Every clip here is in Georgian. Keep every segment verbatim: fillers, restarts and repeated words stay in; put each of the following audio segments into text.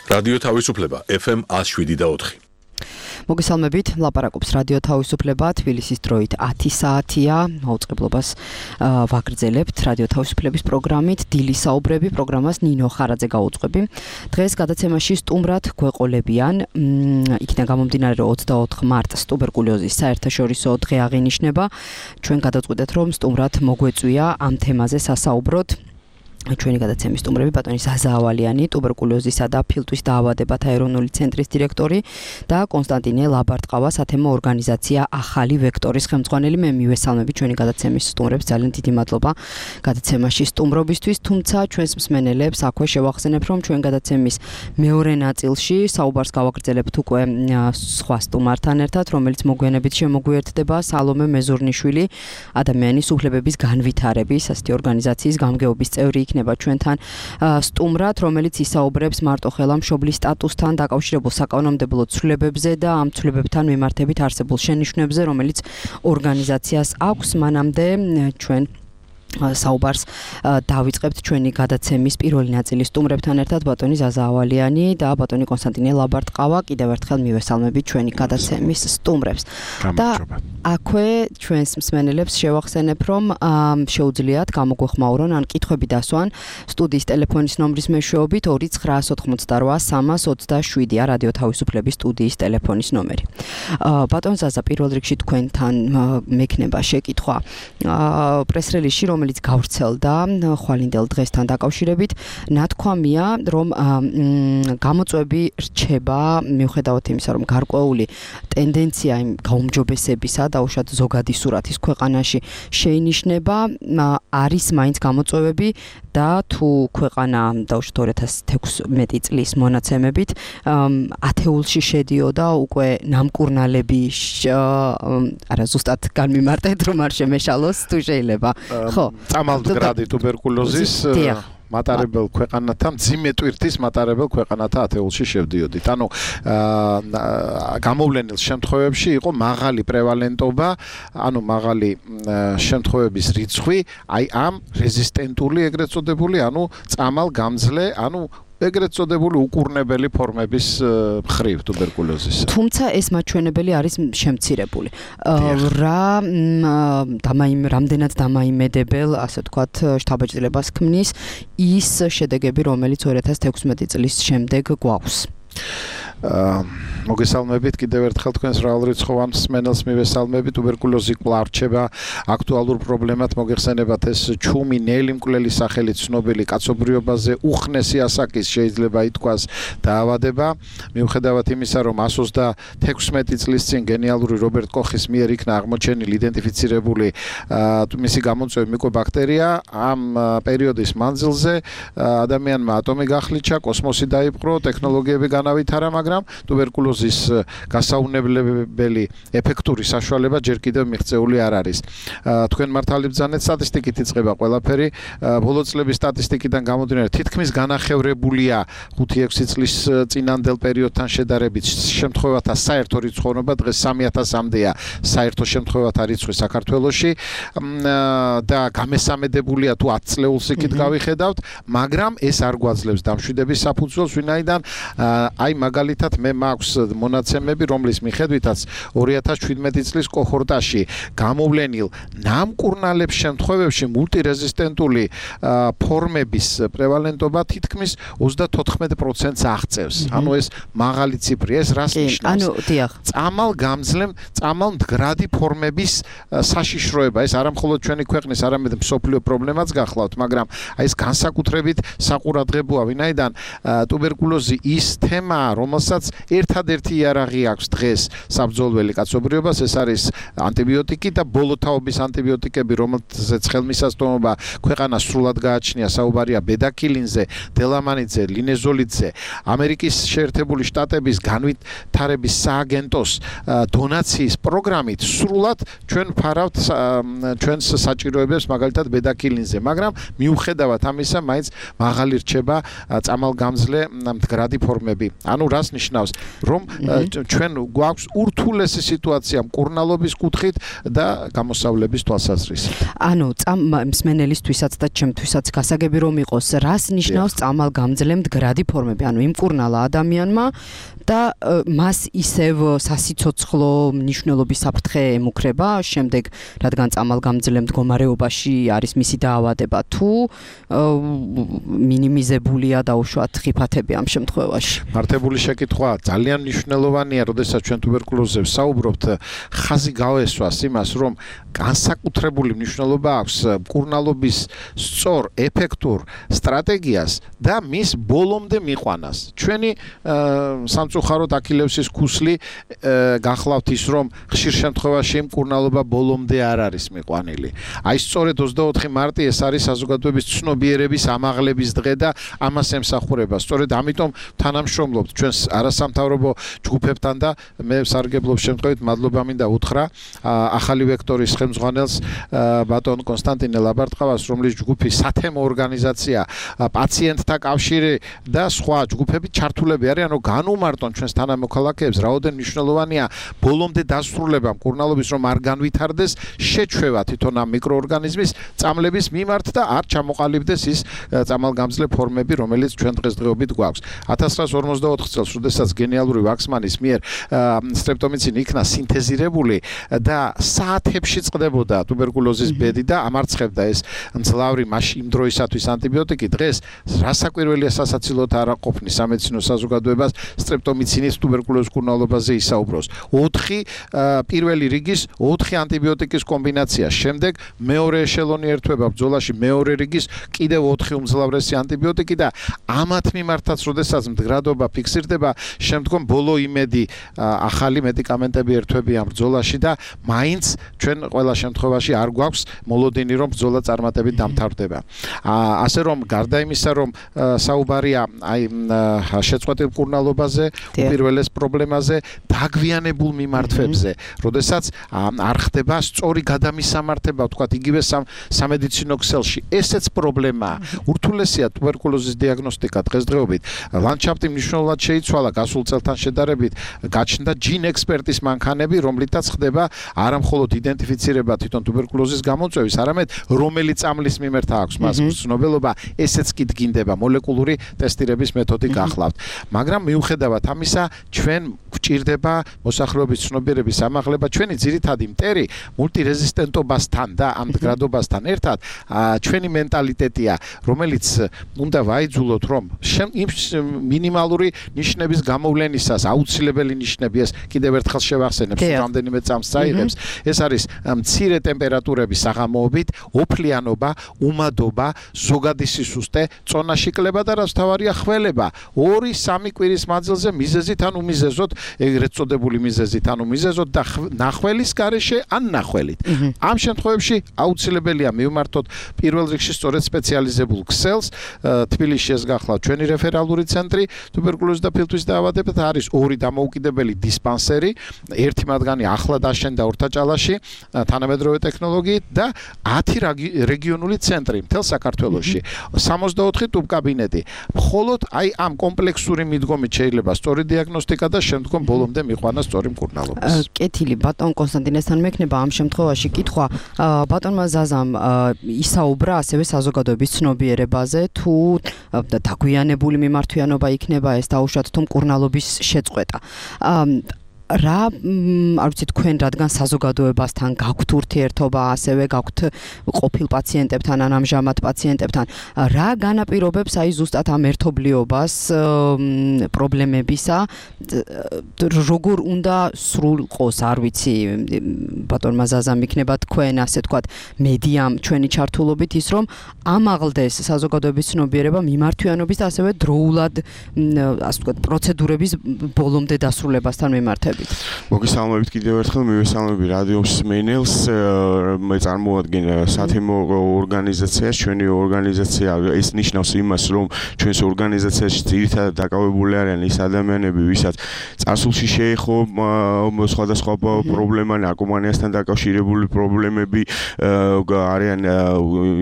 რადიო თავისუფლება ეფ ემ one oh seven და four. მოგესალმებით, ლაპარაკობს რადიო თავისუფლება, თბილისის დროით ათი საათია, მაუწყებლობას ვაგრძელებთ რადიო თავისუფლების პროგრამით, დილის საუბრები პროგრამას ნინო ხარაძე გაუძღვები. დღეს გადაცემაში სტუმრად გვეყოლებიან, იქიდან გამომდინარე რომ ოცდაოთხ მარტს ტუბერკულოზის საერთაშორისო დღე აღინიშნება. ჩვენ გადავწყვიტეთ რომ სტუმრად მოგვეწვია ამ თემაზე სასაუბროთ. ჩვენი გადაცემის სტუმრები ბატონი ზაზა ავალიანი, ტუბერკულოზისა და ფილტვის დაავადებათა ეროვნული ცენტრის დირექტორი და კონსტანტინე ლაბარტყავა, სათემო ორგანიზაცია ახალი ვექტორის ხელმძღვანელი. მე მივესალმები ჩვენი გადაცემის სტუმრებს, ძალიან დიდი მადლობა გადაცემაში სტუმრობისთვის, თუმცა ჩვენს მსმენელებს აქვე შევახსენებ, რომ ჩვენ გადაცემის მეორე ნაწილში საუბარს გავაგრძელებთ უკვე სხვა სტუმართან ერთად, რომელიც მოგვიანებით შემოგვიერთდება, სალომე მეზურნიშვილი, ადამიანის უფლებების განვითარების ასეთი ორგანიზაციის გამგეობის წევრი იქნება ჩვენთან სტუმრად, რომელიც ისაუბრებს მარტოხელა მშობლის სტატუსთან დაკავშირებულ საკანონმდებლო ცვლილებებზე და ამ ცვლილებებთან მიმართებით არსებულ შენიშვნებზე, რომელიც ორგანიზაციას აქვს. მანამდე ჩვენ საუბარს დავიწყებთ ჩვენი გადაცემის პირველი ნაწილის სტუმრებთან ერთად, ბატონი ზაზა ავალიანი და ბატონი კონსტანტინე ლაბარტყავა. კიდევ ერთხელ მივესალმებით ჩვენი გადაცემის სტუმრებს. და აქვე ჩვენს მსმენელებს შევახსენებ, რომ შეუძლიათ გამოგვეხმაურონ ან კითხვები დასვან სტუდიის ტელეფონის ნომრის მეშვეობით ორი ცხრაას ოთხმოცდარვა სამას ოცდაშვიდი რადიო თავისუფლების სტუდიის ტელეფონის ნომერი. ბატონ ზაზა, პირველ რიგში თქვენთან მექნება შეკითხვა პრეს-რელიზში, რომელიც გავრცელდა ხვალინდელ დღესთან დაკავშირებით, ნათქვამია, რომ გამოწვევები რჩება მიუხედავად იმისა, რომ გარკვეული ტენდენცია იმ გაუმჯობესებისა და უშუალოდ ზოგადი სურათის ქვეყანაში შეინიშნება, არის მაინც გამოწვევები და თუ ქვეყანა დაუშვათ ორი ათას თექვსმეტი წლის მონაცემებით ათეულში შედიოდა უკვე ნამკურნალები, არა ზუსტად განმიმარტეთ რომ არ შემეშალოს თუ შეიძლება. ხო, წამალმდგრადი ტუბერკულოზის მატარებელ ქვეყანათა, მძიმე ტვირთის მატარებელ ქვეყანათა ათეულში შევდიოდით. ანუ გამოვლენილ შემთხვევებში იყო მაღალი პრევალენტობა, ანუ მაღალი შემთხვევების რიცხვი, აი ამ რეზისტენტული ეგრეთ წოდებული, ანუ წამალგამძლე, ანუ ეგრეთ წოდებული უკურნებელი ფორმების მხრივ ტუბერკულოზის. თუმცა ეს მაჩვენებელი არის შემცირებული. რა რამდენად დამაიმედებელ, ასე ვთქვათ, შთაბეჭდილებას ქმნის ის შედეგები, რომელიც ორი ათას თექვსმეტი წლის შემდეგ გვაქვს. მოგესალმებით კიდევ ერთხელ თქვენს მრავალრიცხოვან მსმენელს მივესალმები. ტუბერკულოზი კვლავ რჩება აქტუალურ პრობლემად. მოგეხსენებათ ეს ჩუმი ნელი მკვლელი სახელით ცნობილი კაცობრიობაზე უხნესი ასაკის შეიძლება ითქვას დაავადება. მიუხედავად იმისა, რომ εκατს ოცდათექვსმეტი წლის წინ გენიალური რობერტ კოხის მიერ იქნა აღმოჩენილი იდენტიფიცირებული მისი გამოწვევი მიკობაქტერია, ამ პერიოდის მანძილზე ადამიანმა ატომი გახლიჩა, კოსმოსი დაიპყრო, ტექნოლოგიები განავითარა, მაგრამ ტუბერკულოზის გასაუნებლებელი ეფექტური საშუალება ჯერ კიდევ მიღწეული არ არის. თქვენ მართალი ბრძანეთ, სტატისტიკით იწყება ყველაფერი. ბოლო წლების სტატისტიკიდან გამომდინარე, თითქმის განახევრებულია ხუთი ექვსი წლის წინანდელ პერიოდთან შედარებით შემთხვევათა საერთო რიცხოვნობა, დღეს სამი ათასამდეა საერთო შემთხვევათა რიცხვი საქართველოში და გამესამედებულია თუ ათ წლეულს იქით გავიხედავთ, მაგრამ ეს არ გვაძლევს დამშვიდების საფუძველს, ვინაიდან აი მაგალითად მე მაქვს მონაცემები, რომლის მიხედვითაც ორი ათას შვიდმეტი წლის კოჰორტაში გამოვლენილ ნამკურნალებს შემთხვევებში მულტირეზისტენტული ფორმების პრევალენტობა თითქმის ოცდათოთხმეტ პროცენტს აღწევს. ანუ ეს მაღალი ციფრია, ეს რას ნიშნავს? ანუ დიახ. წამალგამძლე, წამალმდგრადი ფორმების საშიშროება, ეს არა მხოლოდ ჩვენი ქვეყნის, არამედ მსოფლიო პრობლემაც გახლავთ, მაგრამ აი ეს განსაკუთრებით საყურადღებოა, ვინაიდან ტუბერკულოზი ის თემაა, რომელსაც ერთადერთი იარაღი აქვს დღეს საბრძოლველი კაცობრიობას, ეს არის ანტიბიოტიკი და ბოლოთაობის ანტიბიოტიკები, რომელზეც ხელმისაწვდომობა ქვეყანას სრულად გააჩნია. საუბარია ბედაკილინზე, დელამანიძე, ლინეზოლიდზე. ამერიკის შეერთებული შტატების განვითარების სააგენტოს დონაციის პროგრამით სრულად ჩვენ ფარავთ ჩვენს საჭიროებებს, მაგალითად ბედაკილინზე, მაგრამ მიუხედავად ამისა, მაინც მაღალი რჩება წამალგამძლე მდგრადი ფორმები ანუ რას ნიშნავს, რომ ჩვენ გვაქვს ურთულესი სიტუაცია მკურნალობის კუთხით და გამოსავლების თვალსაზრისით. ანუ მსმენელისთვისაც და ჩემთვისაც გასაგები რომ იყოს, რას ნიშნავს წამალგამძლე მდგრადი ფორმები, ანუ იმკურნალა ადამიანმა და მას ისევ სასიცოცხლო მნიშვნელობის საფრთხე ემუქრება, შემდეგ რადგან წამალგამძლე მდგომარეობაში არის მისი დაავადება, თუ მინიმიზებულია დაუშვათ ხიფათები ამ შემთხვევაში. მართებული შეკითხვა ძალიან მნიშვნელოვანია, როდესაც ჩვენ ტუბერკულოზზე ვსაუბრობთ, ხაზი გავესვას იმას, რომ განსაკუთრებული მნიშვნელობა აქვს მკურნალობის სწორ, ეფექტურ სტრატეგიას და მის ბოლომდე მიყვანას. ჩვენი სამწუხაროდ აქილევსის ქუსლი გახლავთ ის, რომ ხშირ შემთხვევაში მკურნალობა ბოლომდე არ არის მიყვანილი. აი სწორედ ოცდაოთხი მარტი ეს არის საზოგადოების ცნობიერების ამაღლების დღე და ამას ემსახურება. სწორედ ამიტომ თანამშრომლობთ ჩვენ არასამთავრობო ჯგუფებთან და მე სარგებლობის შემთხვევით მადლობა მინდა უთხრა ახალი ვექტორის ხელმძღვანელს ბატონ კონსტანტინე ლაბარტყავას, რომლის ჯგუფი სათემო ორგანიზაცია, პაციენტთა კავშირი და სხვა ჯგუფები ჩართულები არიან, რომ განუმარტონ ჩვენს თანამოქალაქეებს, რაოდენ მნიშვნელოვანია ბოლომდე დასრულება მკურნალობის, რომ არ განვითარდეს შეჩვევა თვითონ ამ მიკროორგანიზმის წამლების მიმართ და არ ჩამოყალიბდეს ის წამალგამძლე ფორმები, რომელიც ჩვენ დღესდღეობით გვაქვს. ათას ცხრაას ორმოცდაოთხ წელს, როდესაც გენიალური ვაქსმანის მიერ სტრეპტომიცინი იქნა სინთეზირებული და საათებში წყდებოდა ტუბერკულოზის ბედი და ამარცხებდა ეს მძლავრი მაშინ იმ დროისათვის ანტიბიოტიკი, დღეს რასაკვირველია სასაცილოდ არ აყოფნის სამედიცინო საზოგადოებას სტრეპტომიცინის ტუბერკულოზის მკურნალობაზე ისაუბროს. ოთხი პირველი რიგის ოთხი ანტიბიოტიკის კომბინაცია, შემდეგ მეორე ეშელონი ერთვება ბრძოლაში მეორე რიგის კიდევ ოთხი უმძლავრესი ანტიბიოტიკი და ამათ მიმართაც, როდესაც მდგრადობა ფიქსირდება, შემდგომ ბოლო იმედი ახალი მედიკამენტები ერთვებიან ბრძოლაში და მაინც ჩვენ ყველა შემთხვევაში არ გვაქვს მოლოდინი, რომ ბრძოლა წარმატებით დამთავრდება. ასე რომ გარდა იმისა, რომ საუბარია აი შეწყვეტილ მკურნალობაზე, უპირველეს პრობლემაზე, დაგვიანებულ მიმართვებზე, როდესაც არ ხდება სწორი გადამისამართება, ვთქვათ, იგივე სამედიცინო ქსელში. ესეც პრობლემაა. ურთულესია ტუბერკულოზის დიაგნოსტიკა დღესდღეობით. ლანდშაფტი მნიშვნელოვნად შეიცვალა გასულ წელთან შედარებით, გაჩნდა ჯინ ექსპერტის მანქანები, რომლითაც ხდება არა მხოლოდ იდენტიფიცირება თვითონ ტუბერკულოზის გამოწვევის, არამედ რომელი წამლის მიმართ აქვს მას მცნობელობა, ესეც კი დგინდება, მოლეკულური ტესტირების მეთოდი გახლავთ. მაგრამ მიუხედავად ამისა, ჩვენ გვჭირდება მოსახლეობის ცნობიერების ამაღლება, ჩვენი ძირითადი მტერი მულტირეზისტენტობასთან და ამ მდგრადობასთან ერთად ჩვენი მენტალიტეტია, რომელიც უნდა ვაიძულოთ, რომ მინიმალური ნიშნების გამოვლენისას აუცილებელი ნიშნები, ეს კიდევ ერთხელ შევახსენებ, რამდენიმე წამს წაიღებს, ეს არის მცირე ტემპერატურების საღამოობით, ოფლიანობა, უმადობა, ზოგადი სისუსტე, წონაში კლება და რაც თავარია ხველება. ორი სამი კვირის მანძილზე მიზეზით ან უმიზეზოდ, ეგრეთ წოდებული მიზეზით ან უმიზეზოდ და ნახველის გარეშე ან ნახველით. ამ შემთხვევებში აუცილებელია მივმართოთ პირველ რიგში სწორედ სპეციალიზებულ ქსელს. თბილისში ეს გახლავთ ჩვენი რეფერალური ცენტრი ტუბერკულოზის და ფილტვის დაავადებათა არის ორი დამოუკიდებელი დისპანსერი, ერთი მათგანი ახლა დაშენდა ორთაჭალაში თანამედროვე ტექნოლოგიით და ათი რეგიონული ცენტრი მთელ საქართველოში, სამოცდაოთხი ტუბკაბინეტი. მხოლოდ აი ამ კომპლექსური მიდგომით შეიძლება სწორი დიაგნოსტიკა და შემდგომ ბოლომდე მიყვანა სწორი მკურნალობის. კეთილი ბატონ კონსტანტინესთან მექნება ამ შემთხვევაში კითხვა ბატონმა ზაზამ ისაუბრა ასევე საზოგადოების ცნობიერებაზე, თუ დაგვიანებული მიმართვიანობა იქნება ეს დაუშვათ თუ მკურნალობის შეწყვეტა. რა არ ვიცი თქვენ რადგან საზოგადოებასთან გაქვთ ურთიერთობა, ასევე გაქვთ ყოფილ პაციენტებთან ან ამჟამად პაციენტებთან, რა განაპირობებს აი ზუსტად ამ ერთობლიობას პრობლემებისა, როგორ უნდა სრულყოს, არ ვიცი, ბატონმა ზაზამ იქნება თქვენ ასე თქვათ მედიამ ჩვენი ჩართულობით ის, რომ ამაღლდეს საზოგადოების ცნობიერება მიმართვიანობის და ასევე დროულად ასე თქვათ პროცედურების ბოლომდე დასრულებასთან მიმართებით. მოგესალმებით. მოგესალმებით კიდევ ერთხელ, მივესალმები რადიო მსმენელს. მე წარმოადგენ სათემო ორგანიზაციას, ჩვენი ორგანიზაცია ეს ნიშნავს იმას, რომ ჩვენს ორგანიზაციაში ძირითადად დაკავებული არიან ის ადამიანები, ვისაც წარსულში შეეხო სხვადასხვა პრობლემა, ნარკომანიასთან დაკავშირებული პრობლემები, არიან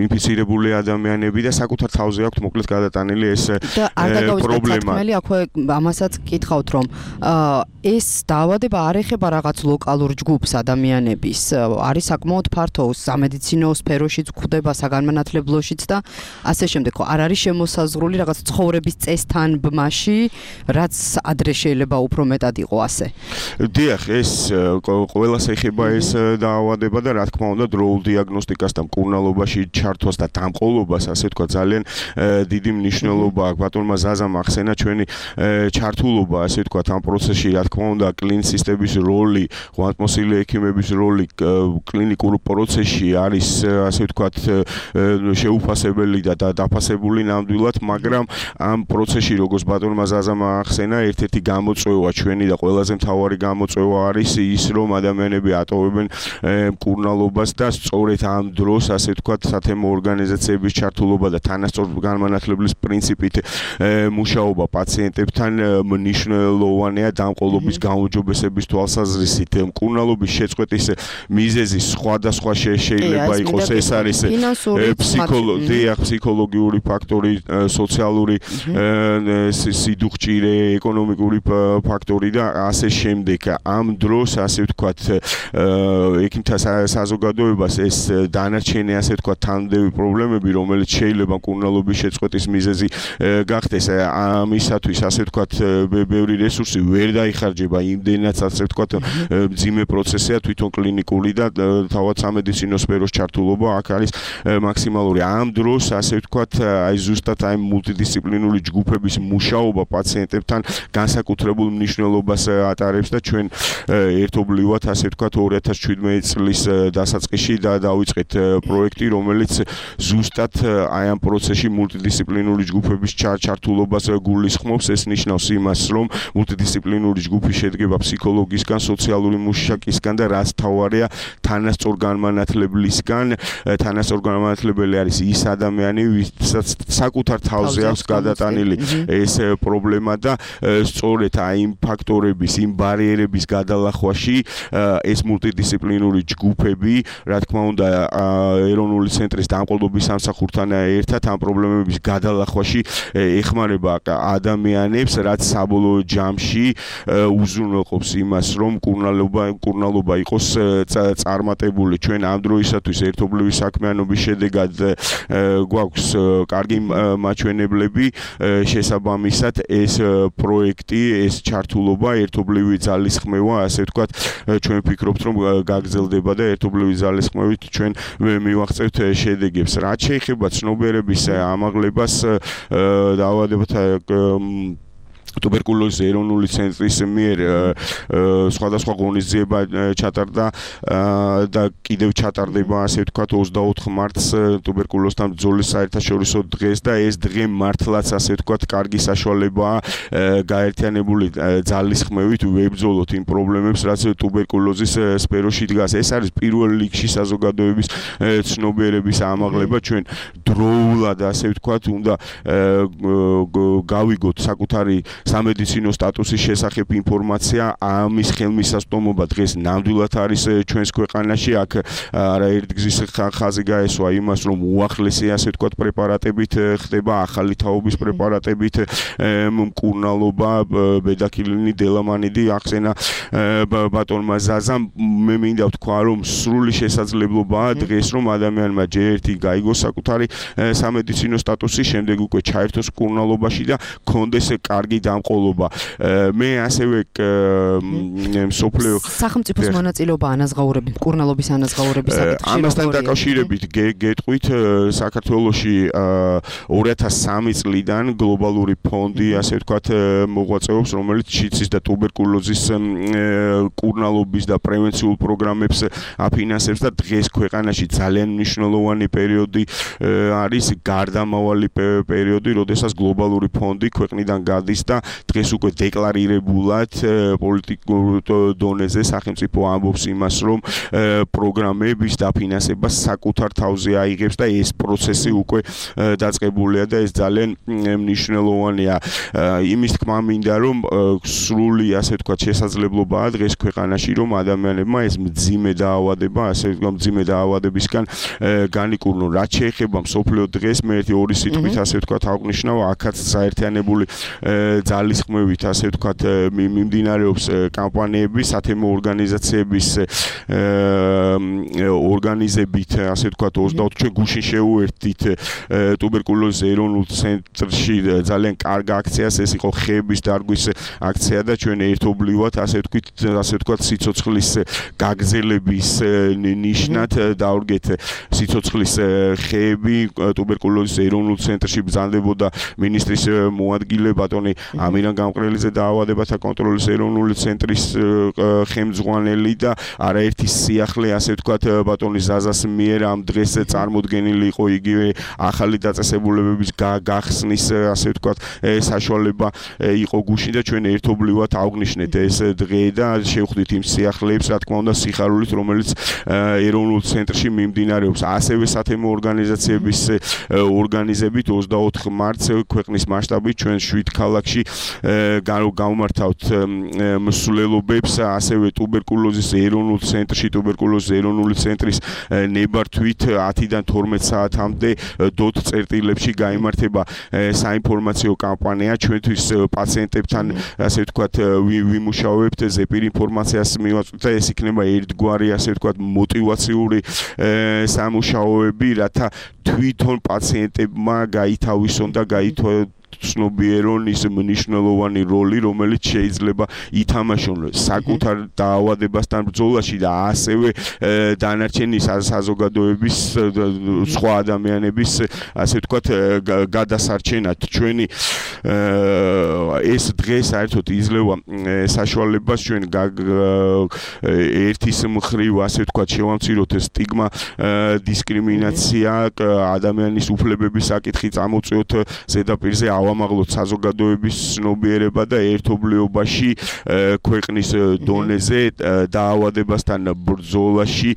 ინფიცირებული ადამიანები და საკუთარ თავზე აქვთ მოკლედ გადატანილი ეს პრობლემა. აქვე ამასაც გითხავთ, რომ ეს დაავადება არ ეხება რაღაც ლოკალურ ჯგუფს ადამიანების, არის საკმაოდ ფართო სამედიცინო სფეროშიც გვხვდება, საგანმანათლებლოშიც და ასე შემდეგ. არ არის შემოსაზღვრული რაღაც ცხოვრების წესთან ბმაში, რაც ადრე შეიძლება უფრო მეტად იყო ასე. დიახ, ეს ყველას ეხება ეს დაავადება და რა თქმა უნდა დროულ დიაგნოსტიკას და მკურნალობაში ჩართვას და დამყოლობას, ასე თქვა, ძალიან დიდი მნიშვნელობა აქვს. ბატონმა ზაზამ ახსენა ჩვენი ჩართულობა, ასე თქვა, ამ პროცესში, რა თქმა უნდა, კლინიცისტების როლი, ღვთისმოსილი ექიმების როლი კლინიკურ პროცესში არის, ასე ვთქვათ, შეუფასებელი და დაფასებული ნამდვილად, მაგრამ ამ პროცესში, როგორც ბატონმა ზაზამ ახსენა, ერთ-ერთი გამოწვევა ჩვენი და ყველაზე მთავარი გამოწვევა არის ის, რომ ადამიანები ატოვებენ მკურნალობას და სწორედ ამ დროს, ასე ვთქვათ, სათემო ორგანიზაციების ჩართულობა და თანასწორ განმანათლებლების პრინციპით მუშაობა პაციენტებთან მნიშვნელოვანია დამყოლობის გაუმჯობესების თვალსაზრისით. მკურნალობის შეწყვეტის მიზეზი სხვადასხვა შეიძლება იყოს, ეს არის ფსიქოლოგიური ფაქტორი, სოციალური სიდუხჭირე, ეკონომიკური ფაქტორი და ასე შემდეგ. ამ დროს, ასე ვთქვათ, ექიმთა საზოგადოებას ეს დანარჩენი, ასე ვთქვათ, თანმდევი პრობლემები, რომელიც შეიძლება მკურნალობის შეწყვეტის მიზეზი გახდეს, ამისათვის, ასე ვთქვათ, ბევრი რესურსი ვერ დაიხარჯება იმდენად, ასე ვთქვათ, მძიმე პროცესია თვითონ კლინიკური და თავად სამედიცინო სფეროს ჩართულობა აქ არის მაქსიმალური. ამ დროს, ასე ვთქვათ, აი ზუსტად აი მულტიდისციპლინური ჯგუფების მუშაობა პაციენტებთან განსაკუთრებულ მნიშვნელობას ატარებს და ჩვენ ერთობლივად, ასე ვთქვათ, ორი ათას შვიდმეტი წლის დასაწყისში და დავიწყეთ პროექტი, რომელიც ზუსტად აი ამ პროცესში მულტიდისციპლინური ჯგუფების ჩართულობას გულისხმობს. ეს ნიშნავს იმას, რომ მულტიდისციპლინური ჯგუფი შედგება ფსიქოლოგისგან, სოციალური მუშაკისგან და რაც თავარია თანასწორ განმანათლებლისგან. თანასწორ განმანათლებელი არის ის ადამიანი, ვისაც საკუთარ თავზე აქვს გადატანილი ეს პრობლემა და სწორედ აი იმ ფაქტორების, იმ ბარიერების გადალახვაში ეს მულტიდისციპლინური ჯგუფები, რა თქმა უნდა, ეროვნული ცენტრის დამყოლობის სამსახურთან ერთად ამ პრობლემების გადალახვაში ეხმარება ადამიანებს, რაც საბოლოო ჯამში უზრუნველყოფს იმას, რომ მკურნალობა მკურნალობა იყოს წარმატებული. ჩვენ ამ დროისათვის ერთობლივი საქმიანობის შედეგად გვაქვს კარგი მაჩვენებლები, შესაბამისად ეს პროექტი, ეს ჩართულობა, ერთობლივი ძალისხმევა, ასე ვთქვათ, ჩვენ ვფიქრობთ, რომ გაგრძელდება და ერთობლივი ძალისხმევით ჩვენ მივაღწევთ შედეგებს. რაც შეეხება ცნობიერების ამაღლებას დაავადებათა ტუბერკულოზის ეროვნული ცენტრის მიერ სხვადასხვა ღონისძიება ჩატარდა და კიდევ ჩატარდება, ასე ვთქვათ, ოცდაოთხ მარტს ტუბერკულოზთან ბრძოლის საერთაშორისო დღეს და ეს დღე მართლაც, ასე ვთქვათ, კარგი საშუალებაა გაერთიანებული ძალისხმევით ვებრძოლოთ იმ პრობლემებს, რაც ტუბერკულოზის სფეროში დგას. ეს არის პირველ რიგში საზოგადოების ცნობიერების ამაღლება. ჩვენ დროულად, ასე ვთქვათ, უნდა გავიგოთ საკუთარი სამედიცინო სტატუსის შესახებ ინფორმაცია, ამის ხელმისაწვდომობა დღეს ნამდვილად არის ჩვენს ქვეყანაში. აქ არაერთგზის ხაზი გაესვა იმას, რომ უახლესი, ასე ვთქვათ, პრეპარატებით ხდება, ახალი თაობის პრეპარატებით მკურნალობა, ბედაქილინი, დელამანიდი, ახსენა ბატონმა ზაზამ. მე მინდა ვთქვა, რომ სრული შესაძლებლობაა დღეს, რომ ადამიანმა ჯერ ერთი გაიგოს საკუთარი სამედიცინო სტატუსი, შემდეგ უკვე ჩაერთოს მკურნალობაში და კონდეს კარგი დამყოლობა. მე ასევე მსოფლიო სახელმწიფოს მონაწილეობა ანაზღაურების, მკურნალობის ანაზღაურების საკითხში. ამასთან დაკავშირებით გეტყვით, საქართველოში ორი ათას სამი წლიდან გლობალური ფონდი, ასე ვთქვათ, მოღვაწეობს, რომელიც შიცის და ტუბერკულოზის მკურნალობის და პრევენციულ პროგრამებს აფინანსებს და დღეს ქვეყანაში ძალიან მნიშვნელოვანი პერიოდი არის, გარდამავალი პერიოდი, როდესაც გლობალური ფონდი ქვეყნიდან გადის და დღეს უკვე დეკლარირებულად პოლიტიკურ დონეზე სახელმწიფო ამბობს იმას, რომ პროგრამების დაფინანსება საკუთარ თავზე აიღებს და ეს პროცესი უკვე დაწყებულია და ეს ძალიან მნიშვნელოვანია. იმის თქმა მინდა, რომ სრული ასე ვთქვათ შესაძლებლობაა დღეს ქვეყანაში, რომ ადამიანებმა ეს მძიმე დაავადება, ასე ვთქვათ მძიმე დაავადებისგან განიკურნონ. რაც შეეხება მსოფლიო დღეს, მე ერთი ორი სიტყვით ასე ვთქვათ აღნიშნავ, აქაც საერთიანებული ძალისხმევით ასე ვთქვათ მიმდინარეობს კამპანიები, სათემო ორგანიზაციების ორგანიზებით, ასე ვთქვათ ოცდაოთხ ჩვენ გუშინ შევუერთდით ტუბერკულოზის ეროვნულ ცენტრში ძალიან კარგი აქციას, ეს იყო ხეების დარგვის აქცია და ჩვენ ერთობლივად ასე ვთქვით, ასე ვთქვათ სიცოცხლის გაგრძელების ნიშნად დავდგეთ სიცოცხლის ხეები ტუბერკულოზის ეროვნულ ცენტრში ბრძანდებოდა მინისტრის მოადგილე ბატონი ამირან გამყრელიძე დაავადებათა კონტროლის ეროვნული ცენტრის ხელმძღვანელი და არაერთი სიახლე ასე ვთქვათ ბატონი ზაზას მიერ ამ დღეს წარმოდგენილი იყო იგივე ახალი დაწესებულებების გახსნის ასე ვთქვათ საშუალება იყო გუშინ და ჩვენ ერთობლივად აღნიშნეთ ეს დღე და შევხვდით იმ სიახლეებს, რა თქმა უნდა, სიხარულით, რომელიც ეროვნულ ცენტრში მიმდინარეობს. ასევე სათემო ორგანიზაციების ორგანიზებით ოცდაოთხ მარტს ქვეყნის მასშტაბით ჩვენ შვიდ ქალაქში გავმართავთ მსვლელობებს, ასევე ტუბერკულოზის ეროვნულ ცენტრში, ტუბერკულოზის ეროვნული ცენტრის ნებართვით ათიდან თორმეტ საათამდე დოთ წერტილებში გაიმართება საინფორმაციო კამპანია ჩვენთვის პაციენტებთან, ასე ვთქვათ, ვიმუშავებთ ზეპირ ინფორმაციას მივაწვდით და ეს იქნება ერთგვარი, ასე ვთქვათ, мотиваციური სამუშაოები, რათა თვითონ პაციენტებმა გაითავისონ და გაითვალისწინონ ცნობიერონ ის მნიშვნელოვანი როლი, რომელიც შეიძლება ითამაშონ საკუთარ დაავადებასთან ბრძოლაში და ასევე დანარჩენი საზოგადოების სხვა ადამიანების, ასე ვთქვათ, გადასარჩენად. ჩვენი ეს დღე საერთოდ იძლევა საშუალებას ჩვენ ერთის მხრივ, ასე ვთქვათ, შევამციროთ სტიგმა, დისკრიმინაცია, ადამიანის უფლებების საკითხი წამოწევთ ზედაპირზე, ავამაღლოთ საზოგადოების ცნობიერება და ერთობლიობაში ქვეყნის დონეზე დაავადებასთან ბრძოლაში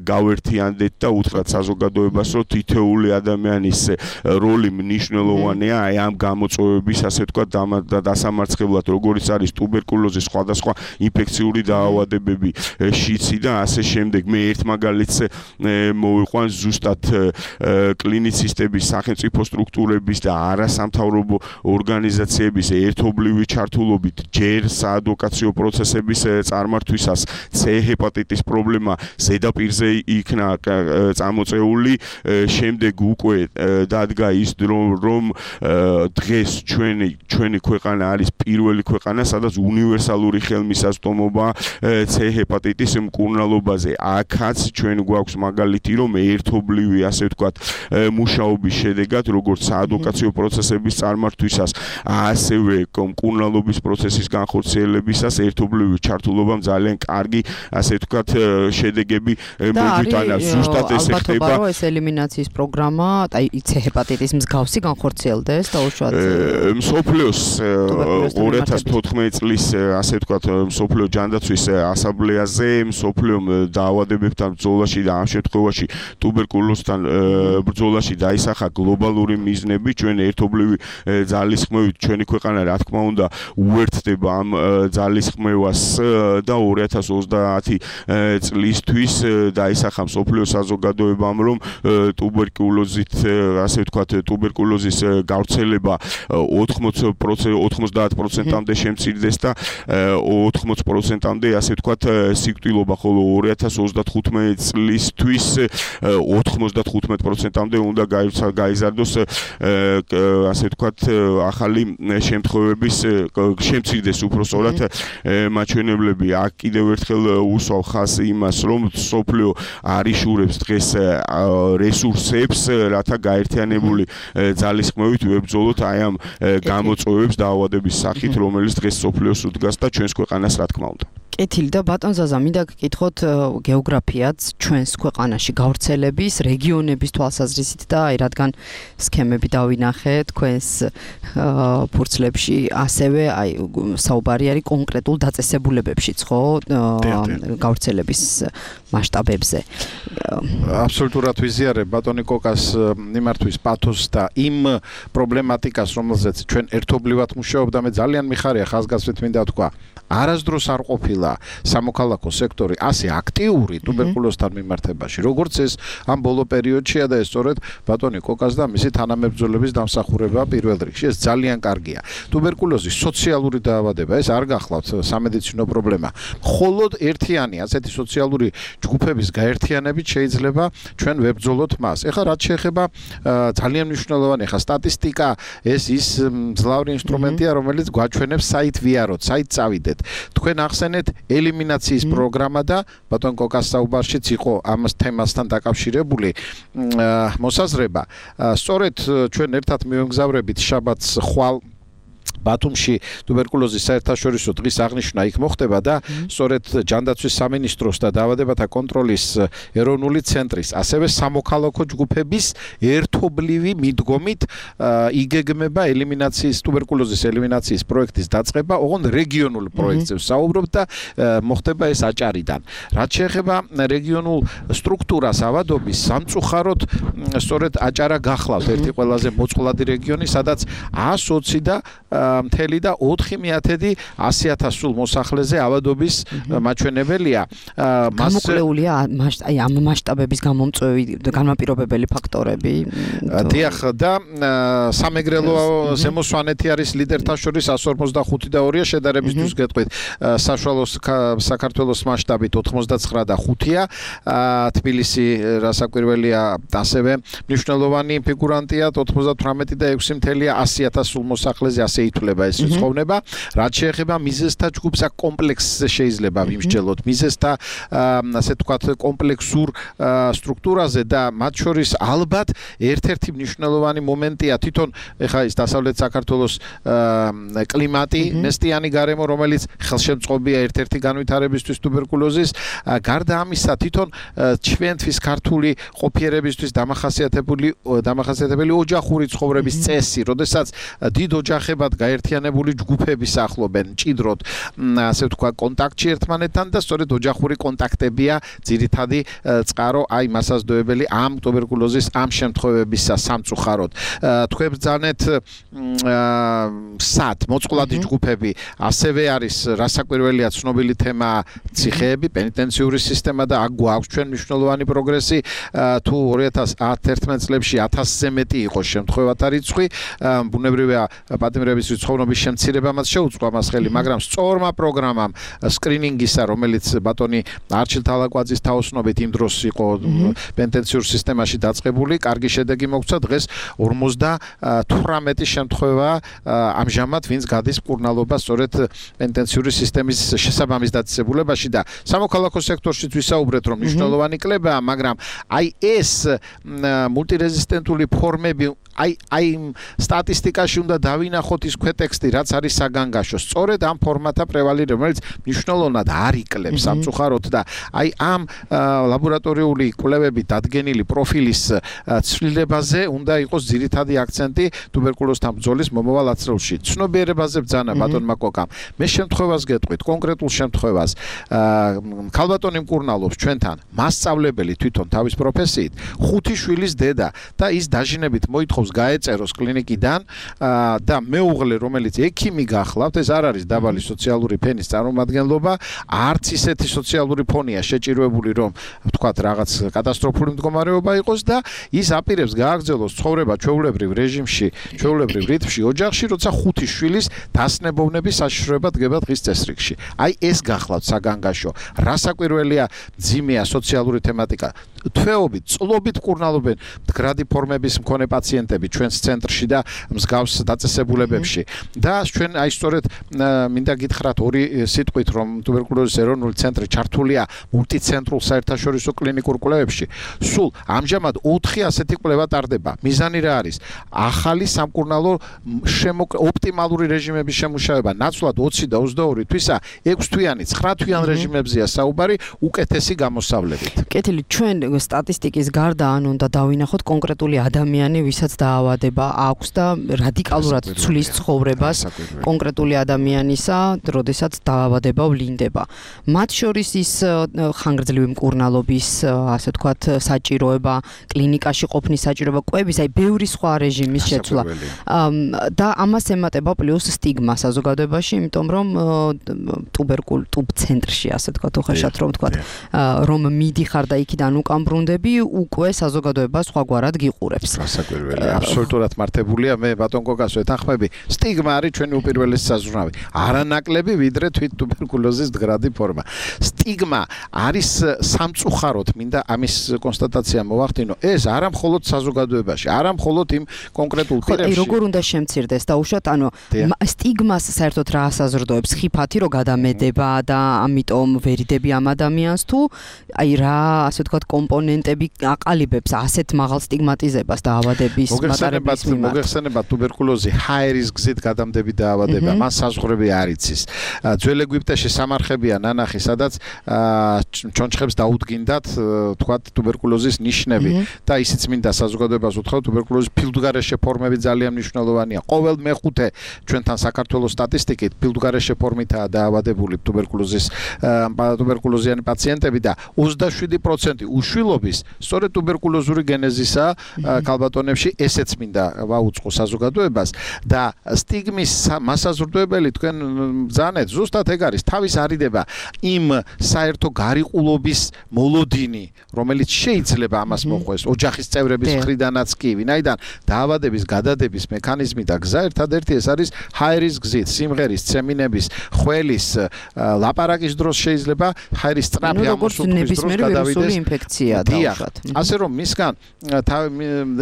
გავერთიანდეთ და უთხრათ საზოგადოებას, რომ თითოეული ადამიანის როლი მნიშვნელოვანია აი ამ გამოწვევების, ასე ვთქვათ, დასამარცხებლად, როგორიც არის ტუბერკულოზი, სხვადასხვა ინფექციური დაავადებები, შიცი და ასე შემდეგ. მე ერთ მაგალითს მოვიყვან ზუსტად კლინიცისტების, სახელმწიფო სტრუქტურების და არასამთავრობო ორგანიზაციების ერთობლივი ჩართულობით ჯერ საადვოკაციო პროცესების წარმართვისას C ჰეპატიტის პრობლემა ზედაპირზე იქნა წამოწეული, შემდეგ უკვე დადგა ის დრო, რომ დღეს ჩვენი ჩვენი ქვეყანა არის პირველი ქვეყანა, სადაც უნივერსალური ხელმისაწვდომობა C ჰეპატიტის მკურნალობაზე. აქაც ჩვენ გვაქვს მაგალითი, რომ ერთობლივი, ასე ვთქვათ, მუშაობის შედეგად, როგორც საადვოკაციო პროცესების წარმართვისას, ასევე მკურნალობის პროცესის განხორციელებისას ერთობლივი ჩართულობამ ძალიან კარგი, ასე ვთქვათ, შედეგები მოგვიტანა. ზუსტად ეს ხდება. ალბათ, ეს ელიმინაციის პროგრამა, აი C ჰეპატიტის მსგავსი განხორციელდეს და უშუალოდ მსოფლიოს ორი ათას თოთხმეტი წლის, ასე ვთქვათ, მსოფლიო ჯანდაცვის ასამბლეაზე, მსოფლიო დაავადებებთან ბრძოლაში და ამ შემთხვევაში ტუბერკულოზთან ბრძოლაში დაისახა გლობალური მიზნები. ჩვენ ერთობლივი ძალისხმევით ჩვენი ქვეყანა, რა თქმა უნდა, უერთდება ამ ძალისხმევას და ორი ათას ოცდაათი წლისთვის დაისახა მსოფლიო საზოგადოებამ, რომ ტუბერკულოზით, ასე ვთქვათ, ტუბერკულოზის გავრცელება ოცდაათ პროცენტამდე შემცირდეს და ოთხმოცი პროცენტამდე, ასე ვთქვათ, სიკვდილობა, ხოლო ორი ათას ოცდახუთმეტი წლისთვის ოთხმოცდახუთმეტი პროცენტამდე უნდა გაიზარდოს, ასე ვთქვათ, ახალი შემთხვევების შემცირდეს უпростоრად მაჩვენებლები. აქ კიდევ ერთხელ უსვავ ხაზს იმას, რომ სოფლიო არიშურებს დღეს რესურსებს, რათა გაერთიანებული ძალისხმევით ვებრძოლოთ აი ამ გამოწვევებს დაავადების სახით, რომელიც დღეს სოფლიოს უდგას და ჩვენს ქვეყანას, რა თქმა უნდა. კეთილი და ბატონ ზაზა, მინდა გკითხოთ გეოგრაფიაც ჩვენს ქვეყანაში გავრცელების, რეგიონების თვალსაზრისით და აი რადგან სქემები დავინახე თქვენს ფურცლებში, ასევე აი საუბარი არის კონკრეტულ დაწესებულებებშიც, ხო? გავრცელების მასშტაბებზე. აბსოლუტურად ვიზიარებ ბატონი კოკას მიმართვის პათოსს და იმ პრობლემატიკას, რომელზეც ჩვენ ერთობლივად მუშაობდა, მე ძალიან მიხარია ხაზგასმით მინდა თქვა. არასდროს არ ყოფილა სამოქალაქო სექტორი ასე აქტიური ტუბერკულოზთან მიმართებაში, როგორც ეს ამ ბოლო პერიოდშია და ეს სწორედ ბატონი კოკას და მისი თანამებრძოლების დამსახურება პირველ რიგში. ეს ძალიან კარგია. ტუბერკულოზის სოციალური დაავადება, ეს არ გახლავთ სამედიცინო პრობლემა. მხოლოდ ერთიანი ასეთი სოციალური ჯგუფების გაერთიანებით შეიძლება ჩვენ ვებრძოლოთ მას. ეხლა რაც შეეხება ძალიან მნიშვნელოვანი ხა სტატისტიკა, ეს ის მძლავრი ინსტრუმენტია, რომელიც გვაჩვენებს საით ვიაროთ, საით წავიდეთ. თქვენ ახსენეთ ელიმინაციის პროგრამა და ბატონ კოკას საუბარშიც იყო ამ თემასთან დაკავშირებული მოსაზრება. სწორედ ჩვენ ერთად მივემგზავრებით შაბათს ხვალ ბათუმში ტუბერკულოზის საერთაშორისო დღის აღნიშვნა იქ მოხდება და სწორედ ჯანდაცვის სამინისტროს და დაავადებათა კონტროლის ეროვნული ცენტრის, ასევე სამოქალაქო ჯგუფების ერთობლივი მიდგომით იგეგმება ელიმინაციის ტუბერკულოზის ელიმინაციის პროექტის დაწყება, ოღონდ რეგიონულ პროექტზე ვსაუბრობ და მოხდება ეს აჭარიდან. რაც შეეხება რეგიონულ სტრუქტურას ავადობის, სამწუხაროდ სწორედ აჭარა გახლავთ ერთი ყველაზე მოწყვლადი რეგიონი, სადაც ას ოცი და მთელი და ოთხი მიათედი ასი ათას სულ მოსახლეზე ავადობის მაჩვენებელია. გამოკლეულია აი ამ მასშტაბების გამომწვევი განმაპირობებელი ფაქტორები. დიახ და სამეგრელო ზემოსვანეთი არის ლიდერთა შორის εκατს ორმოცდახუთი და ორია შედარებისთვის გეტყვით. საშუალო საქართველოს მასშტაბით ოცდათხმეტ და ხუთია. თბილისი რასაკვირველია ასევე მნიშვნელოვანი ფიგურანტია ოცდათვრამეტი და ექვსი მთელი ასი ათას სულ მოსახლეზე ასე ითვლება ეს რიცხვოვნება. რაც შეეხება მიზეზთა ჯგუფს, აქ კომპლექსზე შეიძლება ვიმსჯელოთ მიზეზთა ასე ვთქვათ კომპლექსურ სტრუქტურაზე და მათ შორის ალბათ ერთ-ერთი მნიშვნელოვანი მომენტია თვითონ ეხა ის დასავლეთ საქართველოს კლიმატი, ნესტიანი გარემო, რომელიც ხელშემწყობია ერთ-ერთი განვითარებისთვის ტუბერკულოზის. გარდა ამისა, თვითონ ჩვენთვის ქართული ყოფიერებისთვის დამახასიათებელი დამახასიათებელი ოჯახური ცხოვრების წესი, როდესაც დიდ ოჯახებად გაერთიანებული ჯგუფები სახლობენ ჭიდროდ, ასე ვთქვა, კონტაქტში ერთმანეთთან და სწორედ ოჯახური კონტაქტებია ძირითადი წყარო აი მასაზრდოებელი ამ ტუბერკულოზის ამ შემთხვევებისა სამწუხაროდ. თქვენ ბრძანეთ სად მოწყვლადი ჯგუფები, ასევე არის რასაკვირველია ცნობილი თემა ციხეები, პენიტენციური სისტემა და აქ გვაქვს ჩვენ მნიშვნელოვანი პროგრესი. თუ ორი ათას ათერთმეტ წლებში ათასზე მეტი იყო შემთხვევათა რიცხვი, ბუნებრივია პატიმრების რიცხოვნობის შემცირება მას შეუწყვა მას ხელი, მაგრამ სწორმა პროგრამამ სკრინინგისა, რომელიც ბატონი არჩილ თალაკვაძის თაოსნობით იმ დროს იყო პენიტენციურ სისტემაში დაწყებული, კარგი შედეგი მოგვცა. დღეს ორმოცდათვრამეტი შემთხვევა ამჟამად ვინც გადის მკურნალობა სწორედ პენიტენციური სისტემის შესაბამის დაწესებულებაში და სამოქალაქო სექტორშიც ვისაუბრეთ, რომ მნიშვნელოვანი კლებაა, მაგრამ აი ეს მულტირეზისტენტული ფორმები აი აი სტატისტიკაში უნდა დავინახოთ ის ქვეტექსტი, რაც არის საგანგაშო. სწორედ ამ ფორმათა პრევალირება, რომელიც მნიშვნელოვნად არ იკლებს სამწუხაროდ და აი ამ ლაბორატორიული კვლევებით დადგენილი პროფილის ცვლილებაზე უნდა იყოს ძირითადი აქცენტი ტუბერკულოზთან ბრძოლის მომავალ ათწლეულში. ცნობიერებაზე ბრძანა ბატონმა კოკამ. მე შემთხვევას გეტყვით, კონკრეტულ შემთხვევას. ქალბატონი მკურნალობს ჩვენთან, მასწავლებელი თვითონ თავის პროფესიით, ხუთი შვილის დედა და ის დაჟინებით მოითხოვს გაეწეროს კლინიკიდან და მეუღლე, რომელიც ექიმი გახლავთ, ეს არ არის დაბალი სოციალური ფენის წარმომადგენლობა, არც ისეთი სოციალური ფონია შეჭირვებული, რომ ვთქვათ რაღაც კატასტროფული მდგომარეობა იყოს და ის აპირებს გააგრძელოს ცხოვრება ჩვეულებრივ რეჟიმში, ჩვეულებრივ რიტმში, ოჯახში, როცა ხუთი შვილის დასნებოვნების საშიშროება დგება დღის წესრიგში. აი ეს გახლავთ საგანგაშო. რასაკვირველია, ძიმეა სოციალური თემატიკა. თვეობით, წლობით მკურნალობენ მდგრადი ფორმების მქონე პაციენტები ჩვენს ცენტრში და მსგავს დაწესებულებებში. და ჩვენ აი სწორედ მინდა გითხრათ ორი სიტყვით, რომ ტუბერკულოზის ეროვნული ცენტრი ჩართულია მულტიცენტრულ საერთაშორისო კლინიკურ კვლევებში. სულ ამჟამად ოთხი ასეთი კვლევა ტარდება. მიზანი რა არის? ახალი სამკურნალო ოპტიმალური რეჟიმების შემუშავება. ნაცვლად ოცი და ოცდაორი თვისა ექვს თვიანი, ცხრა თვიან რეჟიმებზეა საუბარი უკეთესი გამოსავლებით. კეთილი, ჩვენ სტატისტიკის გარდა ან უნდა დავინახოთ კონკრეტული ადამიანი, ვისაც დაავადება აქვს და რადიკალურად ცვლის ცხოვრებას კონკრეტული ადამიანისა, როდესაც დაავადება ვლინდება. მათ შორის ის ხანგრძლივი მკურნალობის, ასე ვთქვათ, საჭიროება, კლინიკაში ყოფნის საჭიროება, კვების, აი ბევრი სხვა რეჟიმის შეცვლა. და ამას ემატება პლუს სტიგმა საზოგადოებაში, იმიტომ რომ ტუბერკულ ტუბ ცენტრში, ასე ვთქვათ, უხეშად რომ ვთქვათ, რომ მიდიხარ და იქიდან უკან ბრუნდები, უკვე საზოგადოება სხვაგვარად გიყურებს. გასაკვირველია, აბსოლუტურად მართებულია. მე ბატონ გოგას ვეთანხმები, სტიგმა არის ჩვენი უპირველესი საზრუნავი. არანაკლები ვიდრე თვით ტუბერკულოზის მდგრადი ფორმა. სტიგმა არის სამწუხაროდ, მინდა ამის კონსტატაცია მოვახდინო, ეს არა მხოლოდ საზოგადოებაში, არა მხოლოდ იმ კონკრეტულ პირებში. ხო, როგორ უნდა შემცირდეს დაუშვათ, ანუ სტიგმას საერთოდ რა ასაზრდოებს? ხიფათი რო გადამედება და ამიტომ ვერიდები ამ ადამიანს თუ აი რა, ასე ვთქვათ, კომპონენტები აყალიბებს ასეთ მაღალ სტიგმატიზებას დაავადების მატარებლის მიმართ. მოგეხსენებათ ტუბერკულოზი ჰაერის გზით გადამდები დაავადება, მან საზღვრები არ იცის. ძველ ეგვიპტეში სამარხებია ნანახი, სადაც ჩონჩხებს დაუდგინდათ, თქვათ, ტუბერკულოზის ნიშნები და ისიც მინდა საზოგადოებას უთხრა, ტუბერკულოზის ფილდგარეშე ფორმები ძალიან მნიშვნელოვანია. ყოველ მეხუთე ჩვენთან საქართველოს სტატისტიკით ფილდგარეშე ფორმითაა დაავადებული ტუბერკულოზის ტუბერკულოზიანი პაციენტები და ოცდაშვიდი პროცენტი უშვილობის სწორედ ტუბერკულოზური გენეზისა ქალბატონებში, ესეც მინდა ვაუწყო საზოგადოებას და სტიგმის მასაზრდოებელი თქვენ ბრძანეთ, ზუსტად ეგ არის, თავის არიდება იმ საერთო გარიყულობის მოლოდინი, რომელიც შეიძლება ამას მოყვეს ოჯახის წევრების მხრიდანაც კი, ვინაიდან დაავადების გადადების მექანიზმი და გზა ერთადერთი ეს არის ჰაერის გზით, სიმღერის, ცემინების, ხველის, ლაპარაკის დროს შეიძლება ჰაერის სწრაფი ამოსულობის დროს გადავიდეს ინფექცია დაუშვათ. ასე რომ მისგან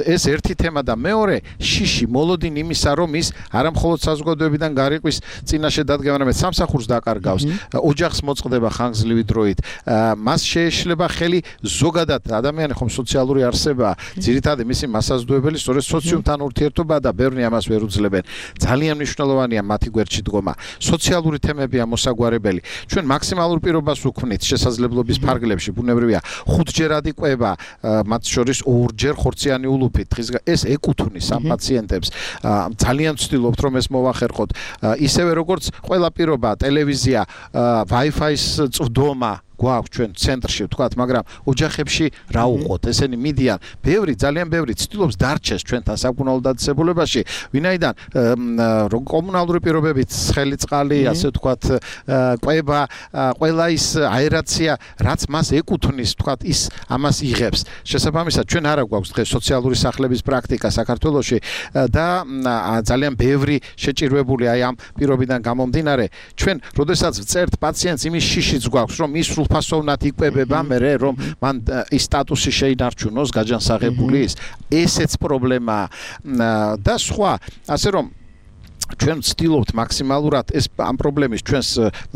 ეს ერთი თემა და მეორე შიში მოლოდინი იმისა, რომ ის არა მხოლოდ საზოგადოებიდან გარიყვის წინაშე დადგება, არამედ სამსახურს დაკარგავს, ოჯახს მოწყდება ხანგრძლივი დროით, მას შეეშლება ხელი ზოგადად ადამიანი ხომ სოციალური არსებაა, ძირითადად მისი მასაზრდოებელი სწორედ სოციუმთან ურთიერთობა და ბევრნი ამას ვერ უძლებენ. ძალიან მნიშვნელოვანია მათი გვერდში დგომა. სოციალური თემებია მოსაგვარებელი. ჩვენ მაქსიმალურ პირობას ვუქმნით შესაძლებლობის ფარგლებში, ბუნებრივია, ხუთჯერადი კვება, მათ შორის ორჯერ ხორციანი ულუფით. ეს ეკუთვნის ამ პაციენტებს. ძალიან ვცდილობთ, რომ ეს მოვახერხოთ. ისევე როგორც ყველა პირობა, ტელევიზია, Wi-Fi-ის წვდომა გვაქვს ჩვენ ცენტრში, ვთქვათ, მაგრამ ოჯახებში რა უყოთ? ესენი მიდიან, ბევრი, ძალიან ბევრი ცდილობს დარჩეს ჩვენთან საკუნალო დაწესებულებაში, ვინაიდან კომუნალური პირობებით ცხელი წყალი, ასე ვთქვათ, კვება, ყველა ის აერაცია, რაც მას ეკუთვნის, ვთქვათ, ის ამას იღებს. შესაბამისად, ჩვენ არა გვაქვს დღეს სოციალური სახლების პრაქტიკა საქართველოში და ძალიან ბევრი შეჭირვებული აი ამ პირობიდან გამომდინარე, ჩვენ, როდესაც ვწერთ პაციენტს, იმის შიშიც გვაქვს, რომ ის ფასოვნად იკვებება მერე რომ მან ის სტატუსი შეინარჩუნოს გაჯანსაღებული ის ესეც პრობლემაა და სხვა ასე რომ ჩვენ ვცდილობთ მაქსიმალურად ეს ამ პრობლემის ჩვენს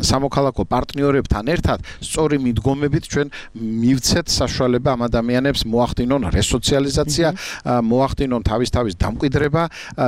სამოქალაქო პარტნიორებთან ერთად სწორი მიდგომებით ჩვენ მივცეთ საშუალება ამ ადამიანებს მოახდინონ რესოციალიზაცია, მოახდინონ თავის-თავის დამკვიდრება.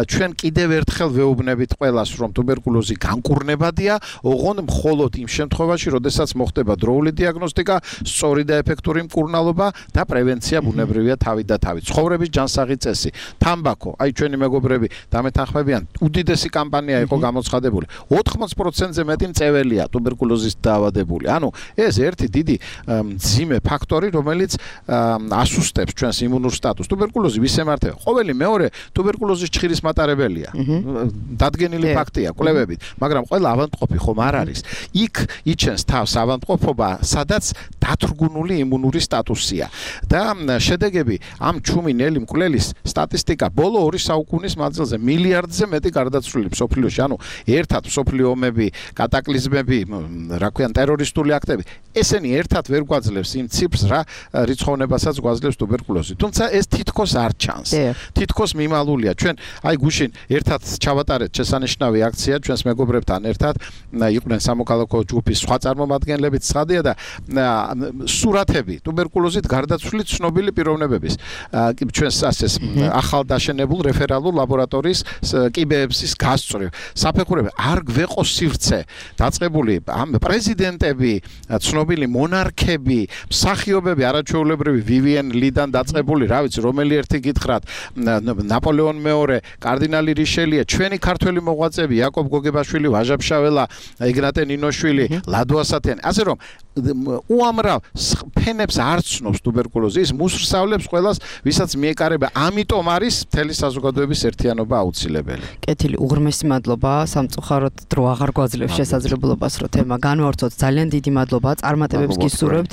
ჩვენ კიდევ ერთხელ ვეუბნებით ყველას, რომ ტუბერკულოზი განკურნებადია, ოღონდ მხოლოდ იმ შემთხვევაში, როდესაც მოხდება დროული დიაგნოსტიკა, სწორი და ეფექტური მკურნალობა და პრევენცია ბუნებრივია თავით და თავით. ცხოვრების ჯანსაღი წესი, თამბაქო, აი ჩვენი მეგობრები დამეთანხმებიან, უდიდესი კამპანია იყო გამოცხადებული. ოთხმოც პროცენტზე მეტი მწეველია ტუბერკულოზის დაავადებული. ანუ ეს ერთი დიდი მძიმე ფაქტორი, რომელიც ასუსტებს ჩვენს იმუნურ სტატუსს. ტუბერკულოზი ვის ემართება? ყოველი მეორე ტუბერკულოზის ჩხირის მატარებელია. დადგენილი ფაქტია კვლევებით, მაგრამ ყველა ავადმყოფი ხომ არ არის. იქ იჩენს თავს ავადმყოფობა, სადაც დათრგუნული იმუნური სტატუსია. და შედეგები ამ ჩუმი ნელი მკვლელის სტატისტიკა ბოლო ორი საუკუნის მანძილზე მილიარდზე მეტი გარდაცვლილი გაყოფილი მსოფლიოში, ანუ ერთად მსოფლიო ომები, კატაკლიზმები, რა ქვიან, ტერორისტული აქტები, ესენი ერთად ვერ გვაძლევს იმ ციფრს, რა რიცხოვნებასაც გვაძლევს ტუბერკულოზი. თუმცა ეს თითქოს არ ჩანს. თითქოს მიმალულია. ჩვენ აი გუშინ ერთად ჩავატარეთ შესანიშნავი აქცია ჩვენს მეგობრებთან ერთად, იყვნენ სამოქალაქო ჯგუფის სხვა წარმომადგენლებიც, ცხადია და სურათები ტუბერკულოზით გარდაცვლილი ცნობილი პიროვნებების ჩვენს ასეს ახალ დაშენებულ რეფერალურ ლაბორატორიის კიბეების გასწვრივ საფეხურები არ გვეყო სივრცე დაწყებული ამ პრეზიდენტები, ცნობილი მონარქები, მსახიობები, არაჩვეულებრივი ვივიენ ლიდან დაწყებული, რა ვიცი, რომელი ერთი გითხრათ, ნაპოლეონ მეორე, კარდინალი რიშელია, ჩვენი ქართველი მოღვაწეები, იაკობ გოგებაშვილი, ვაჟა-ფშაველა, ეგნატე ნინოშვილი, ლადო ასათიანი, ასე რომ უამრავ ფენებს არ ცნობს ტუბერკულოზი, ის მუსრსავლებს ყველას, ვისაც მიეკარება, ამიტომ არის მთელი საზოგადოების ერთიანობა აუცილებელი. კეთილი, უღრმესი მადლობა, სამწუხაროდ დრო აღარ გვაძლევს შესაძლებლობას, რომ თემა განვავრცოთ. ძალიან დიდი მადლობა, წარმატებებს გისურვებთ.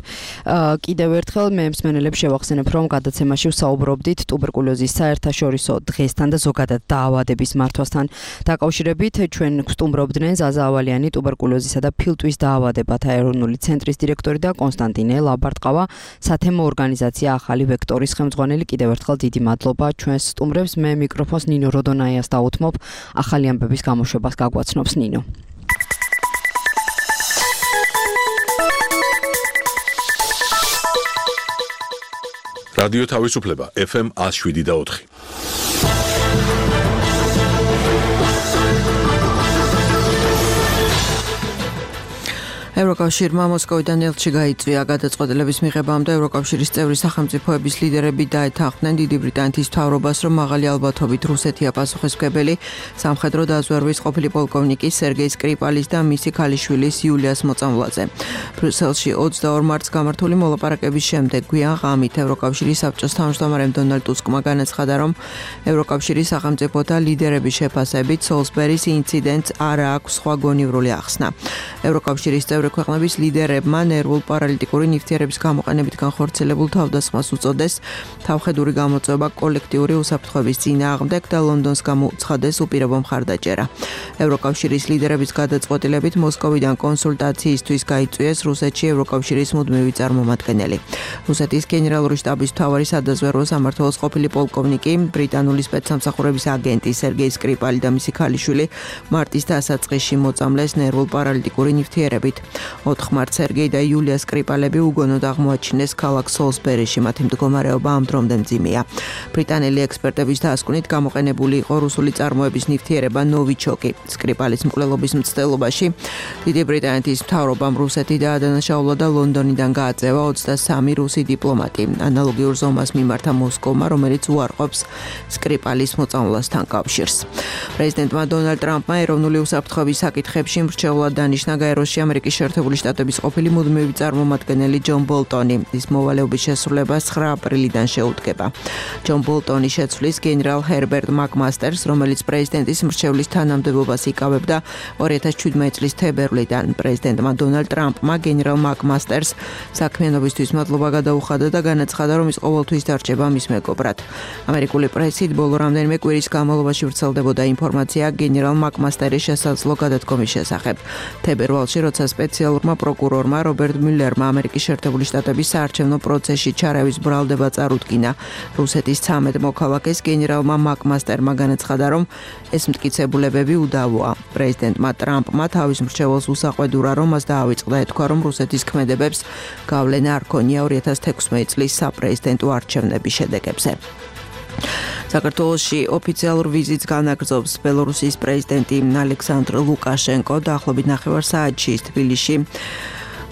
კიდევ ერთხელ მე მსმენელებს შევახსენებ, რომ გადაცემაში ვსაუბრობდით ტუბერკულოზის საერთაშორისო დღესთან და ზოგადად დაავადების მართვასთან დაკავშირებით. ჩვენ გვსტუმრობდნენ ზაზა ავალიანი, ტუბერკულოზისა და ფილტვის დაავადებათა ეროვნული ცენტრის დირექტორი და კონსტანტინე ლაბარტყავა, სათემო ორგანიზაცია ახალი ვექტორის ხელმძღვანელი. კიდევ ერთხელ დიდი მადლობა ჩვენს სტუმრებს. მე მიკროფონს ნინო როდონაიას დავუთმობ. ახალი ამბების გამოშვებას გაგვაცნობს ნინო. რადიო თავისუფლება ეფ ემ one oh seven და four. ევროკავშირმა მოსკოვიდან ელჩი გაიწვია. გადაწყვეტილების მიღებამდე ევროკავშირის წევრი სახელმწიფოების ლიდერები დაეთანხმდნენ დიდი ბრიტანეთის მთავრობას, რომ მაღალი ალბათობით რუსეთია პასუხისმგებელი სამხედრო დაზვერვის ყოფილი პოლკოვნიკის სერგეი სკრიპალის და მისი ქალიშვილის იულიას მოწამვლაზე. ბრიუსელში ოცდაორ მარტს გამართული მოლაპარაკების შემდეგ გვიან ღამით ევროკავშირის საბჭოს თავმჯდომარემ დონალდ ტუსკმა განაცხადა, რომ ევროკავშირის სახელმწიფოთა ლიდერების შეფასებით სოლსბერის ინციდენტს არ აქვს სხვა გონივრული ახსნა. ევროკავშირის წევრი ქვეყნების ლიდერებმა ნერვულ პარალიტიკური ნივთიერების გამოყენებით განხორციელებულ თავდასხმას უწოდეს, თავხედური გამოწვევა კოლექტიური უსაფრთხოების წინააღმდეგ და ლონდონს გამოუცხადეს უპირობო მხარდაჭერა. ევროკავშირის ლიდერების გადაწყვეტილებით მოსკოვიდან კონსულტაციისთვის გაიწვიეს რუსეთში ევროკავშირის მუდმივი წარმომადგენელი. რუსეთის გენერალური შტაბის მთავარი სადაზვერვო სამმართველოს ყოფილი პოლკოვნიკი, ბრიტანული სპეცსამსახურების აგენტი სერგეი სკრიპალი და მისი ქალიშვილი მარტის დასაწყისში მოწამლეს ნერვულ პარალიტიკური ნივთიერებით. ოთხ მარტს სერგეი და იულია სკრიპალები უგონოდ აღმოაჩინეს ქალაქ სოლსბერიში, მათი მდგომარეობა ამ დრომდე მძიმეა. ბრიტანელი ექსპერტების დასკვნით გამოყენებული იყო რუსული წარმოების ნივთიერება ნოვიჩოკი. სკრიპალის მკვლელობის მცდელობაში დიდი ბრიტანეთის მთავრობამ რუსეთი დაადანაშაულა და ლონდონიდან გააწევა ოცდასამი რუსი დიპლომატი. ანალოგიურ ზომას მიმართა მოსკოვმა, რომელიც უარყოფს სკრიპალის მოწამვლასთან კავშირს. პრეზიდენტმა დონალდ ტრამპმა ეროვნული უსაფრთხოების საკითხებში მრჩევლად დანიშნა გაეროში ამერიკის შეერთებული შტატების ყოფილი მუდმივი წარმომადგენელი ჯონ ბოლტონი. ის მოვალეობის შესრულებას ცხრა აპრილიდან შეუდგება. ჯონ ბოლტონი შეცვლის გენერალ ჰერბერტ მაკმასტერს, რომელიც პრეზიდენტის მრჩევლის თანამდებობას იკავებდა ორი ათას შვიდმეტი წლის თებერვლიდან. პრეზიდენტმა დონალდ ტრამპმა გენერალ მაკმასტერს საქმიანობისთვის მადლობა გადაუხადა და განაცხადა, რომ ის ყოველთვის დარჩება მის მეგობრად. ამერიკული პრესით ბოლო რამდენიმე კვირის განმავლობაში ვრცელდებოდა ინფორმაცია გენერალ მაკმასტერის შესაძლო გადადგომის შესახებ. თებერვალში, როცა სპეციალურმა პროკურორმა რობერტ მიულერმა ამერიკის შეერთებული შტატების საარჩევნო პროცესში ჩარავის ბრალდება წარუდგინა, რუსეთის ცამეტ მოქალაქეს გენერალმა მაკმასტერმა განაცხადა, რომ ეს მტკიცებულებები უდავოა. პრეზიდენტმა ტრამპმა თავის მრჩეველს უსაყვედურა, რომ მას დაავიწყდა, ეთქვა, რომ რუსეთის ქმედებებს გავლენა არ ქონია ორი ათას თექვსმეტი წლის საპრეზიდენტო არჩევნების შედეგებზე. საქართველოში ოფიციალურ ვიზიტს განაგრძობს ბელორუსიის პრეზიდენტი ალექსანდრ ლუკაშენკო. დაახლოებით ნახევარ საათში თბილისში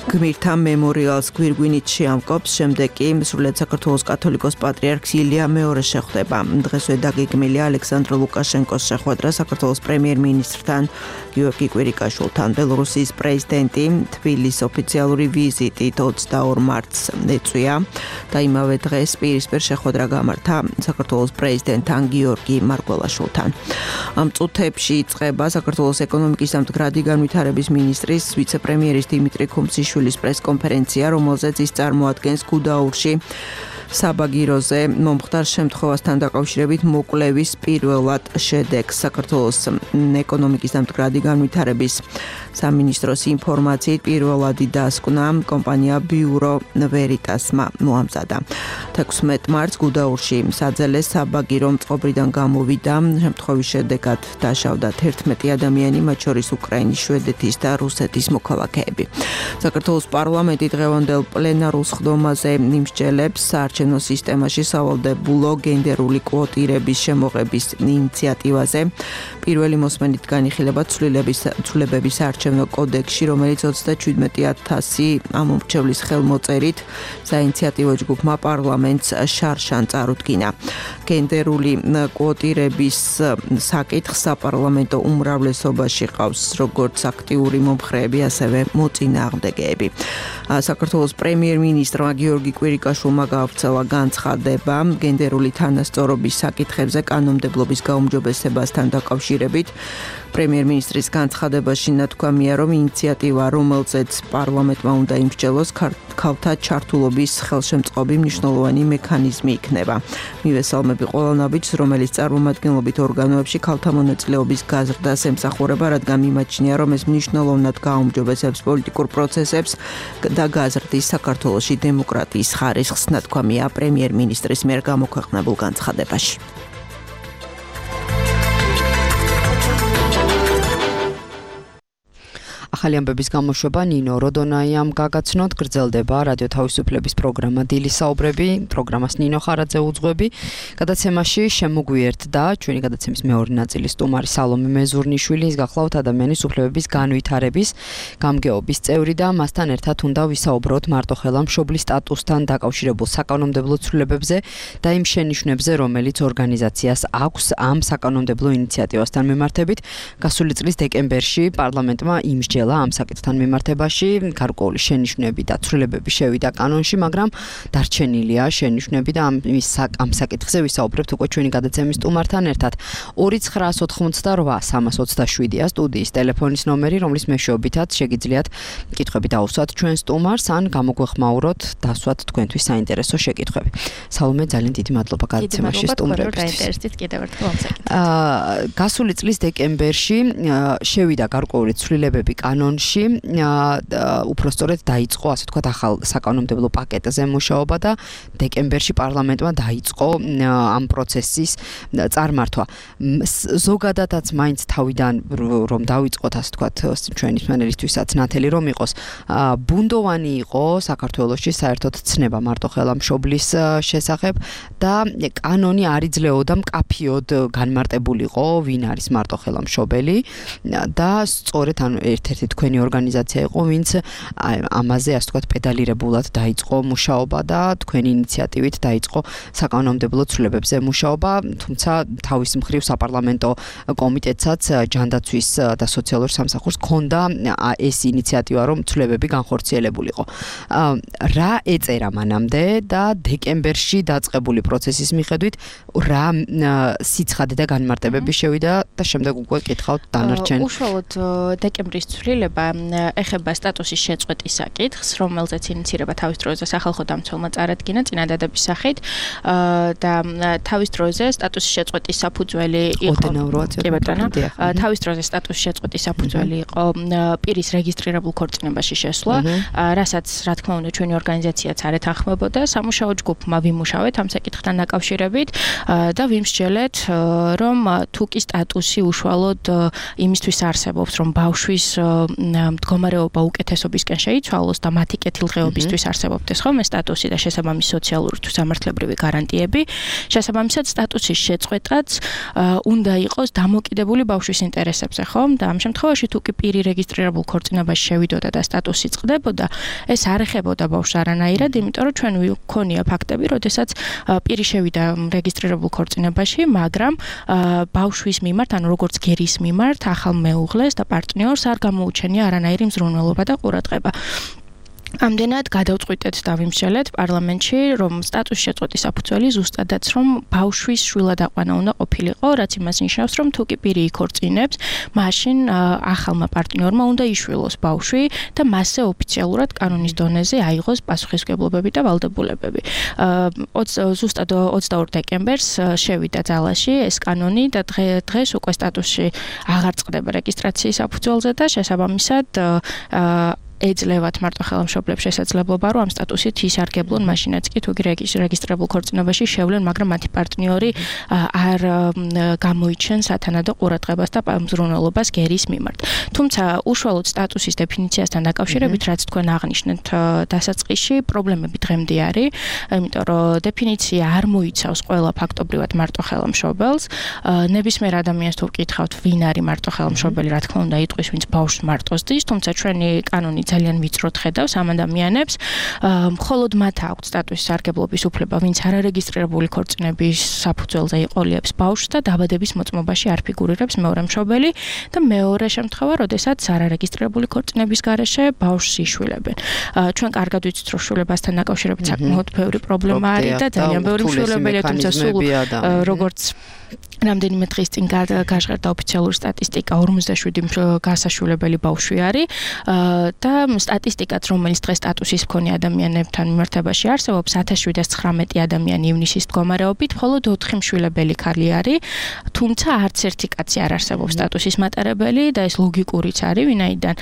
გმირთა მემორიალს გვირგვინით შეამკობს, შემდეგ კი სრულიად საქართველოს კათოლიკოს პატრიარქს ილია მეორე შეხვდება. დღესვე დაგეგმილია ალექსანდრ ლუკაშენკოს შეხვედრა საქართველოს პრემიერ-მინისტრთან გიორგი კვირიკაშვილთან. ბელორუსიის პრეზიდენტი თბილისის ოფიციალური ვიზიტით ოცდაორ მარტს ეწვია და იმავე დღეს პირისპირ შეხვედრა გამართა საქართველოს პრეზიდენტთან გიორგი მარგველაშვილთან. ამ წუთებში იწყება საქართველოს ეკონომიკის და მდგრადი განვითარების მინისტრის ვიცე-პრემიერის დიმიტრი ქუმციშვილის პრესკონფერენცია, რომელზეც ის წარმოადგენს გუდაურში საბაგიროზე მომხდარ შემთხვევასთან დაკავშირებით მოკვლევის პირველად შედეგს. საქართველოს ეკონომიკის და მდგრადი განვითარების სამინისტროს ინფორმაციით პირველადი დასკვნა კომპანია ბიურო ვერიტასმა მოამზადა. თექვსმეტ მარტს გუდაურში საძელე საბაგირო წყობრიდან გამოვიდა. შემთხვევის შედეგად დაშავდა თერთმეტი ადამიანი, მათ შორის უკრაინის, შვედეთის და რუსეთის მოქალაქეები. საქართველოს პარლამენტი დღევანდელ პლენარულ სხდომაზე იმსჯელებს საარჩევნო სისტემაში სავალდებულო გენდერული კვოტირების შემოღების ინიციატივაზე. პირველი მოსმენით განიხილება ცვლილებების საარჩევნო კოდექსში, რომელიც ოცდაჩვიდმეტი ათასი ამომრჩევლის ხელმოწერით საინიციატივო ჯგუფმა პარლამენტს შარშან წარუდგინა. გენდერული კვოტირების საკითხს საპარლამენტო უმრავლესობაში ყავს როგორც აქტიური მომხრეები, ასევე მოწინააღმდეგეები. საქართველოს პრემიერ-მინისტრმა გიორგი კვირიკაშვილმა გაავრცელა განცხადება გენდერული თანასწორობის საკითხებზე კანონმდებლობის გაუმჯობესებასთან დაკავშირებით. პრემიერ-მინისტრის განცხადებაში ნათქვამია, რომ ინიციატივა, რომელზეც პარლამენტმა უნდა იმსჯელოს, ქალთა ჩართულობის ხელშემწყობი მნიშვნელოვანი მექანიზმი იქნება. მივესალმები ყველა ნაბიჯს, რომელიც წარმომადგენლობით ორგანოებში ქალთა მონაწილეობის გაზრდას ემსახურება, რადგან მიმაჩნია, რომ ეს მნიშვნელოვნად გააუმჯობესებს პოლიტიკურ პროცესებს და გაზრდის საქართველოში დემოკრატიის ხარისხს, ნათქვამია პრემიერ-მინისტრის მიერ გამოქვეყნებულ განცხადებაში. ახალი ამბების გამოშვება ნინო როდონაიამ გაგაცნოთ. გრძელდება რადიო თავისუფლების პროგრამა დილის საუბრები, პროგრამას ნინო ხარაძე უძღვები. გადაცემაში შემოგვიერთდა ჩვენი გადაცემის მეორე ნაწილის სტუმარი სალომე მეზურნიშვილი, ის გახლავთ ადამიანის უფლებების განვითარების გამგეობის წევრი და მასთან ერთად უნდა ვისაუბროთ მარტოხელა მშობლის სტატუსთან დაკავშირებულ საკანონმდებლო ცვლილებებზე და იმ შენიშვნებზე, რომელიც ორგანიზაციას აქვს ამ საკანონმდებლო ინიციატივასთან მიმართებით. გასული წლის დეკემბერში პარლამენტმა იმსჯელა ამ საკითხთან მიმართებაში, გარკვეული შენიშვნები და ცვლილებები შევიდა კანონში, მაგრამ დარჩენილია შენიშვნები და ამ ამ საკითხზე ვისაუბრებთ უკვე ჩვენი გადაცემის სტუმართან ერთად. ორი ცხრაას ოთხმოცდაოთხ სამას ოცდაშვიდია სტუდიის ტელეფონის ნომერი, რომლის მეშვეობითაც შეგიძლიათ კითხვები დაუსვათ ჩვენ სტუმარს ან გამოგვეხმაუროთ, დასვათ თქვენთვის საინტერესო შეკითხვები. სალომე, ძალიან დიდი მადლობა გადაცემაში სტუმრებისთვის. აა გასული წლის დეკემბერში შევიდა გარკვეული ცვლილებები კანონში, უпростоრედ დაიწყო, ასე ვთქვათ, ახალ საკანონმდებლო პაკეტზე მუშაობა და დეკემბერში პარლამენტმა დაიწყო ამ პროცესის წარმართვა. ზოგადადაც მაინც თავიდან რომ დაიწყოთ, ასე ვთქვათ, ჩვენი მსმენელისთვისაც ნათელი რომ იყოს, ბუნდოვანი იყო საქართველოში საერთოდ ცნება მარტოხელა მშობლის შესახებ და კანონი არ იძლეოდა მკაფიოდ განმარტებულიყო, ვინ არის მარტოხელა მშობელი და სწორედ ანუ ერთ-ერთი თქვენი ორგანიზაცია იყო, ვინც ამაზე, ასე ვთქვათ, პედალირებულად დაიწყო მუშაობა და თქვენი ინიციატივით დაიწყო საკანონმდებლო ცვლილებებზე მუშაობა, თუმცა თავის მხრივ საპარლამენტო კომიტეტსაც ჯანდაცვის და სოციალურ სამსახურს ჰქონდა ეს ინიციატივა, რომ ცვლილებები განხორციელებულიყო. რა ეწერა მანამდე და დეკემბერში დაწყებული პროცესის მიხედვით რა სიცხადე და განმარტებები შევიდა და შემდეგ უკვე კითხავთ დანარჩენ. უშუალოდ დეკემბრის ცვლილება ეხება სტატუსის შეწყვეტის საკითხს, რომელზეც ინიცირება თავის დროზე სახალხო დამცველმა წარადგინა წინადადების სახით და თავის დროზე სტატუსის შეწყვეტის საფუძველი იყო თავის დროზე სტატუსის შეწყვეტის საფუძველი იყო პირის რეგისტრირებულ ქორწინებაში შესვლა, რასაც რა თქმა უნდა ჩვენი ორგანიზაციაც არ ეთანხმებოდა. სამუშაო ჯგუფმა ვიმუშავეთ ამ საკითხთან დაკავშირებით და ვიმსჯელეთ, რომ თუ კი სტატუსი უშუალოდ იმისთვის არსებობს, რომ ბავშვის მდგომარეობა უკეთესობისკენ შეიცვალოს და მათი კეთილდღეობისთვის არსებობდეს ხოლმე სტატუსი და შესაბამისი სოციალური თუ სამართლებრივი გარანტიები, შესაბამისად სტატუსის შეწყვეტაც უნდა იყოს დამოკიდებული ბავშვის ინტერესებზე, ხომ? და ამ შემთხვევაში თუ კი პირი რეგისტრირებულ ქორწინებაში შევიდოდა და სტატუსი წყდებოდა, ეს არ ეხებოდა ბავშვს არანაირად, იმიტომ რომ ჩვენ ვქონია ფაქტები, როდესაც პირი შევიდა რეგისტრირებულ ქორწინებაში, მაგრამ ბავშვის მიმართ, ანუ როგორც გერის მიმართ, ახალ მეუღლეს და პარტნიორს არ გამოუჩენია არანაირი მზრუნველობა და ყურადღება. ამდენად გადავწყვიტეთ და ვიმსჯელეთ პარლამენტში, რომ სტატუსის შეწყვეტის საფუძველი ზუსტადაც რომ ბავშვის შვილად აყვანა უნდა ყოფილიყო, რაც იმას ნიშნავს, რომ თუ კი პირი იქორწინებს, მაშინ ახალმა პარტნიორმა უნდა იშვილოს ბავშვი და მასზე ოფიციალურად კანონის დონეზე აიღოს პასუხისმგებლობები და ვალდებულებები. ზუსტად ოცდაორ დეკემბერს შევიდა ძალაში ეს კანონი და დღეს უკვე სტატუსი აღარ წყდება რეგისტრაციის საფუძველზე და შესაბამისად ეძლევათ მარტო ხელმშობლებს შესაძლებლობა, რომ ამ სტატუსით ისარგებლონ მაშინაც კი თუ რეგისტრირებულ ქორწინებაში შევლენ, მაგრამ მათი პარტნიორი არ გამოიჩენ სათანადო ყურადღებას და მზრუნველობას გერის მიმართ. თუმცა უშუალოდ სტატუსის დეფინიციასთან დაკავშირებით, რაც თქვენ აღნიშნეთ დასაწყისში, პრობლემები დღემდე არის, იმიტომ რომ დეფინიცია არ მოიცავს ყველა ფაქტობრივად მარტო ხელმშობელს. ნებისმიერ ადამიანს თუ ვკითხავთ, ვინ არის მარტო ხელმშობელი, რა თქმა უნდა, იტყვის, ვინც ბავშვს მარტოს დის, თუმცა ჩვენი კანონი ძალიან ვიწროდ ხედავს ამ ადამიანებს, მხოლოდ მათ აქვთ სტატუსის სარგებლობის უფლება, ვინც არარეგისტრირებული ქორწინების საფუძველზე იყოლიებს ბავშვს და დაბადების მოწმობაში არ ფიგურირებს მეორე მშობელი და მეორე შემთხვევა, როდესაც არარეგისტრირებული ქორწინების გარეშე ბავშვს იშვილებენ. ჩვენ კარგად ვიცით, რომ შვილებასთან დაკავშირებით საკმაოდ ბევრი პრობლემა არის და ძალიან ბევრი მშვილებელია, თუმცა სულ როგორც რამდენიმე დღის წინ გაჟღერდა ოფიციალური სტატისტიკა, ორმოცდაშვიდი გასაშვილებელი ბავშვი არის და სტატისტიკაც, რომელიც დღეს სტატუსის მქონე ადამიანებთან მიმართებაში არსებობს, ათას შვიდას ცხრამეტი ადამიანი ივნისის მდგომარეობით, მხოლოდ ოთხი მშვილებელი ქალი არის, თუმცა არც ერთი კაცი არ არსებობს სტატუსის მატარებელი და ეს ლოგიკურიც არის, ვინაიდან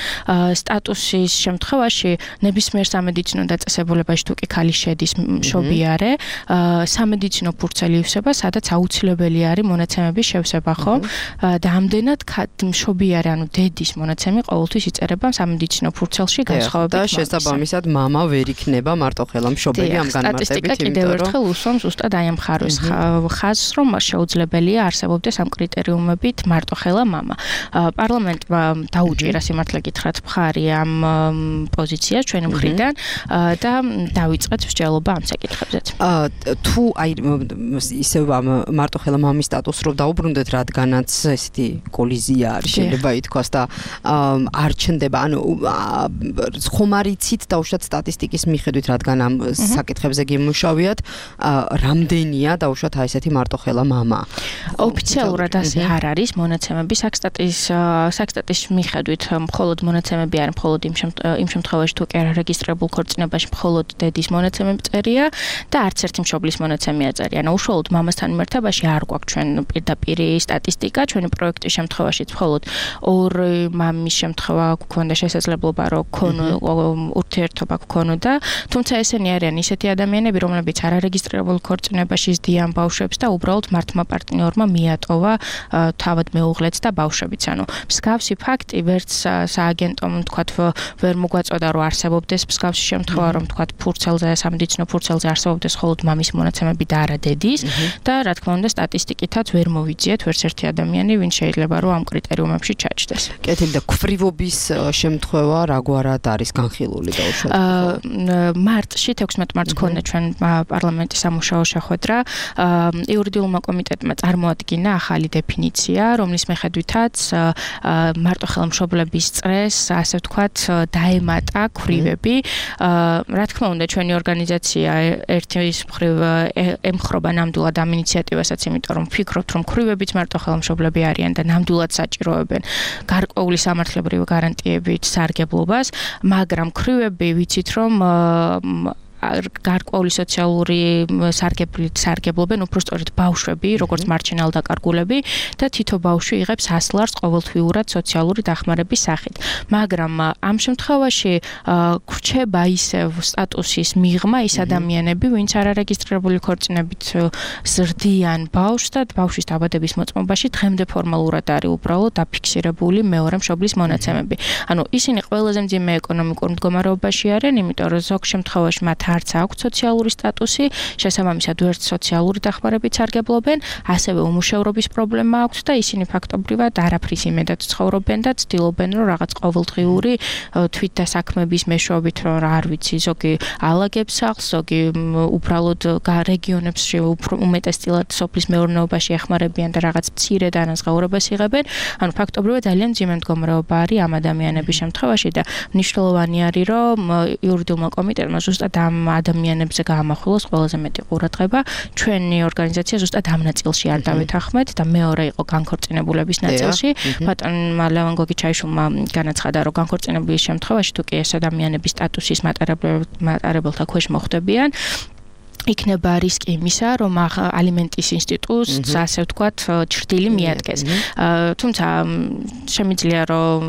სტატუსის შემთხვევაში ნებისმიერ სამედიცინო დაწესებულებაში თუ კი ქალი შედის მშობიარე, სამედიცინო ფურცელი ივსება, სადაც აუცილებელი არის მონაცემების შევსება, ხო? და ამდენად მშობიარე, ანუ დედის მონაცემი ყოველთვის იწერება სამედიცინო ფურცელში განსხვავებით და შესაბამისად მამა ვერ იქნება მარტო ხელმშობელი ამ განმარტებით, სტატისტიკა კიდევ ერთხელ უსვამს ზუსტად აი ამ ხარვის ხაზს, რომ შეუძლებელია არსებობდეს ამ კრიტერიუმებით მარტო ხელა მამა. პარლამენტმა დაუჭირა სიმართლე გითხრათ მხარი ამ პოზიციას ჩვენი მხრიდან და დავიწყეთ მსჯელობა ამ საკითხებზეც. თუ აი ისევ ამ მარტო ხელა მამის სტატუსს რომ დაუბრუნდეთ, რადგანაც ესეთი კოლიზია არის, შეიძლება ითქვას და არ ჩნდება, ანუ ხომ არ იცით დაუშვათ სტატისტიკის მიხედვით, რადგან ამ საკითხებზე გიმუშავიათ, რამდენია დაუშვათ აი ესეთი მარტო ხელა მამა? ოფიციალურად ასე არ არის მონაცემები საქსტატის საქსტატის მიხედვით, მხოლოდ მონაცემები არ, მხოლოდ იმ შემთხვევაში თუ კი არ რეგისტრირებულ ქორწინებაში მხოლოდ დედის მონაცემები წერია და არც ერთი მშობლის მონაცემი აწერია. ანუ უშუალოდ მამასთან მიმართებაში არ გვაქვს ჩვენ პირდაპირი სტატისტიკა, ჩვენი პროექტის შემთხვევაშიც მხოლოდ ორი მამის შემთხვევა გვქონდა შესაძლებლობა, რომ ურთიერთობა გქონოდა, თუმცა ესენი არიან ისეთი ადამიანები, რომლებიც არარეგისტრირებულ ქორწინებაში ზდიან ბავშვებს და უბრალოდ მართმა პარტნიორმა მიატოვა თავად მეუღლეც და ბავშვებიც. ანუ მსგავსი ფაქტი ვერც სააგენტომ თქვათ ვერ მოგვაწოდა, რომ არსებობდეს მსგავსი შემთხვევა, რომ თქვათ ფურცელზე, სამედიცინო ფურცელზე არსებობდეს მხოლოდ მამის მონაცემები და არა დედის და რა თქმა უნდა სტატისტიკითაც ვერ მოვიძიეთ ვერც ერთი ადამიანი, ვინც შეიძლება რომ ამ კრიტერიუმებში ჩაჯდეს. კეთილი და ქვრივობის შემთხვევა რაგვარად არის განხილული დაუშვათ? მარტში თექვსმეტ მარტს ქონდა ჩვენ პარლამენტის სამუშაო შეხვედრა. იურიდიულმა კომიტეტმა წარმოადგინა ახალი დეფინიცია, რომლის მიხედვითაც მარტო ხელმშობლების წრეს, ასე ვთქვათ, დაემატა ქვრივები. რა თქმა უნდა, ჩვენი ორგანიზაცია ერთის მხრივ ემხრობა ნამდვილად ამ ინიციატივასაც, იმიტომ რომ ვფიქრობთ, რომ ქვრივებიც მარტო ხელმშობლები არიან და ნამდვილად საჭიროებენ გარკვეული სამართლებრივი გარანტიებით სარგებლობას, მაგრამ ქვრივები ვიცით, რომ გარკვეული სოციალური სარგებლით სარგებლობენ უფრო სწორედ ბავშვები, როგორც მარჩენალ დაკარგულები და თითო ბავშვი იღებს ასლარს ყოველთვიურად სოციალური დახმარების სახით. მაგრამ ამ შემთხვევაში გვრჩება ისევ სტატუსის მიღმა ის ადამიანები, ვინც არარეგისტრირებული ქორწინებით ზრდიან ბავშვს და ბავშვის დაბადების მოწმობაში დღემდე ფორმალურად არის უბრალოდ დაფიქსირებული მეორე მშობლის მონაცემები. ანუ ისინი ყველაზე მძიმე ეკონომიკურ მდგომარეობაში არიან, იმიტომ რომ ზოგ შემთხვევაში მათ არც აქვს სოციალური სტატუსი, შესაბამისად ვერც სოციალური დახმარებით სარგებლობენ, ასევე უმუშევრობის პრობლემა აქვს და ისინი ფაქტობრივად არაფრის იმედად ცხოვრობენ და ცდილობენ რომ რაღაც ყოველდღიური თვითდასაქმების მეშვეობით რომ არ ვიცი, ზოგი ალაგებს ახს, ზოგი უბრალოდ რეგიონებში უმეტესწილად სოფლის მეურნეობაში ეხმარებიან და რაღაც მცირე დანაზღაურებას იღებენ. ანუ ფაქტობრივად ძალიან მძიმე მდგომარეობა არის ამ ადამიანების შემთხვევაში და მნიშვნელოვანი არის რომ იურიდიულმა კომიტეტმა ზუსტად ამ ადამიანებზე გაამახვილოს ყველაზე მეტი ყურადღება. ჩვენი ორგანიზაცია ზუსტად ამ ნაწილში არ დავეთანხმეთ და მეორე იყო განქორწინებულების ნაწილში. ბატონმა ლევან გოგიჩაიშვილმა განაცხადა რომ განქორწინებულის შემთხვევაში თუ კი ეს ადამიანების სტატუსის მატარებელთა ქვეშ მოხვდებიან იქნება რისკი იმისა, რომ ალიმენტის ინსტიტუტს, ასე ვთქვათ, ჭრილი მიადგეს. თუმცა შემიძლია რომ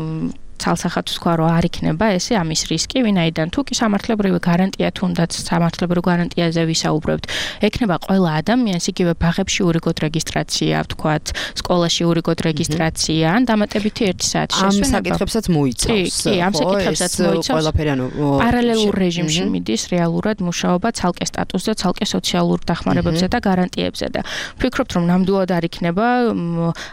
ცალსახად თქვა რომ არ იქნება ესე ამის რისკი, ვინაიდან თუ კი სამართლებრივი გარანტია თუნდაც სამართლებრივ გარანტიაზე ვისაუბრებთ, ექნება ყველა ადამიანს იგივე ბაღებში ურიგოდ რეგისტრაცია, ვთქვათ, სკოლაში ურიგოდ რეგისტრაცია, ან დამატებითი ერთი საათი შესვენება. ამ საკითხებსაც მოიცავს. კი, ამ საკითხებსაც მოიცავს. ყველაფერი ანუ პარალელურ რეჟიმში მიდის რეალურად მუშაობა ცალკე სტატუსზე, ცალკე სოციალურ დახმარებებზე და გარანტიებზე და ვფიქრობთ რომ ნამდვილად არ იქნება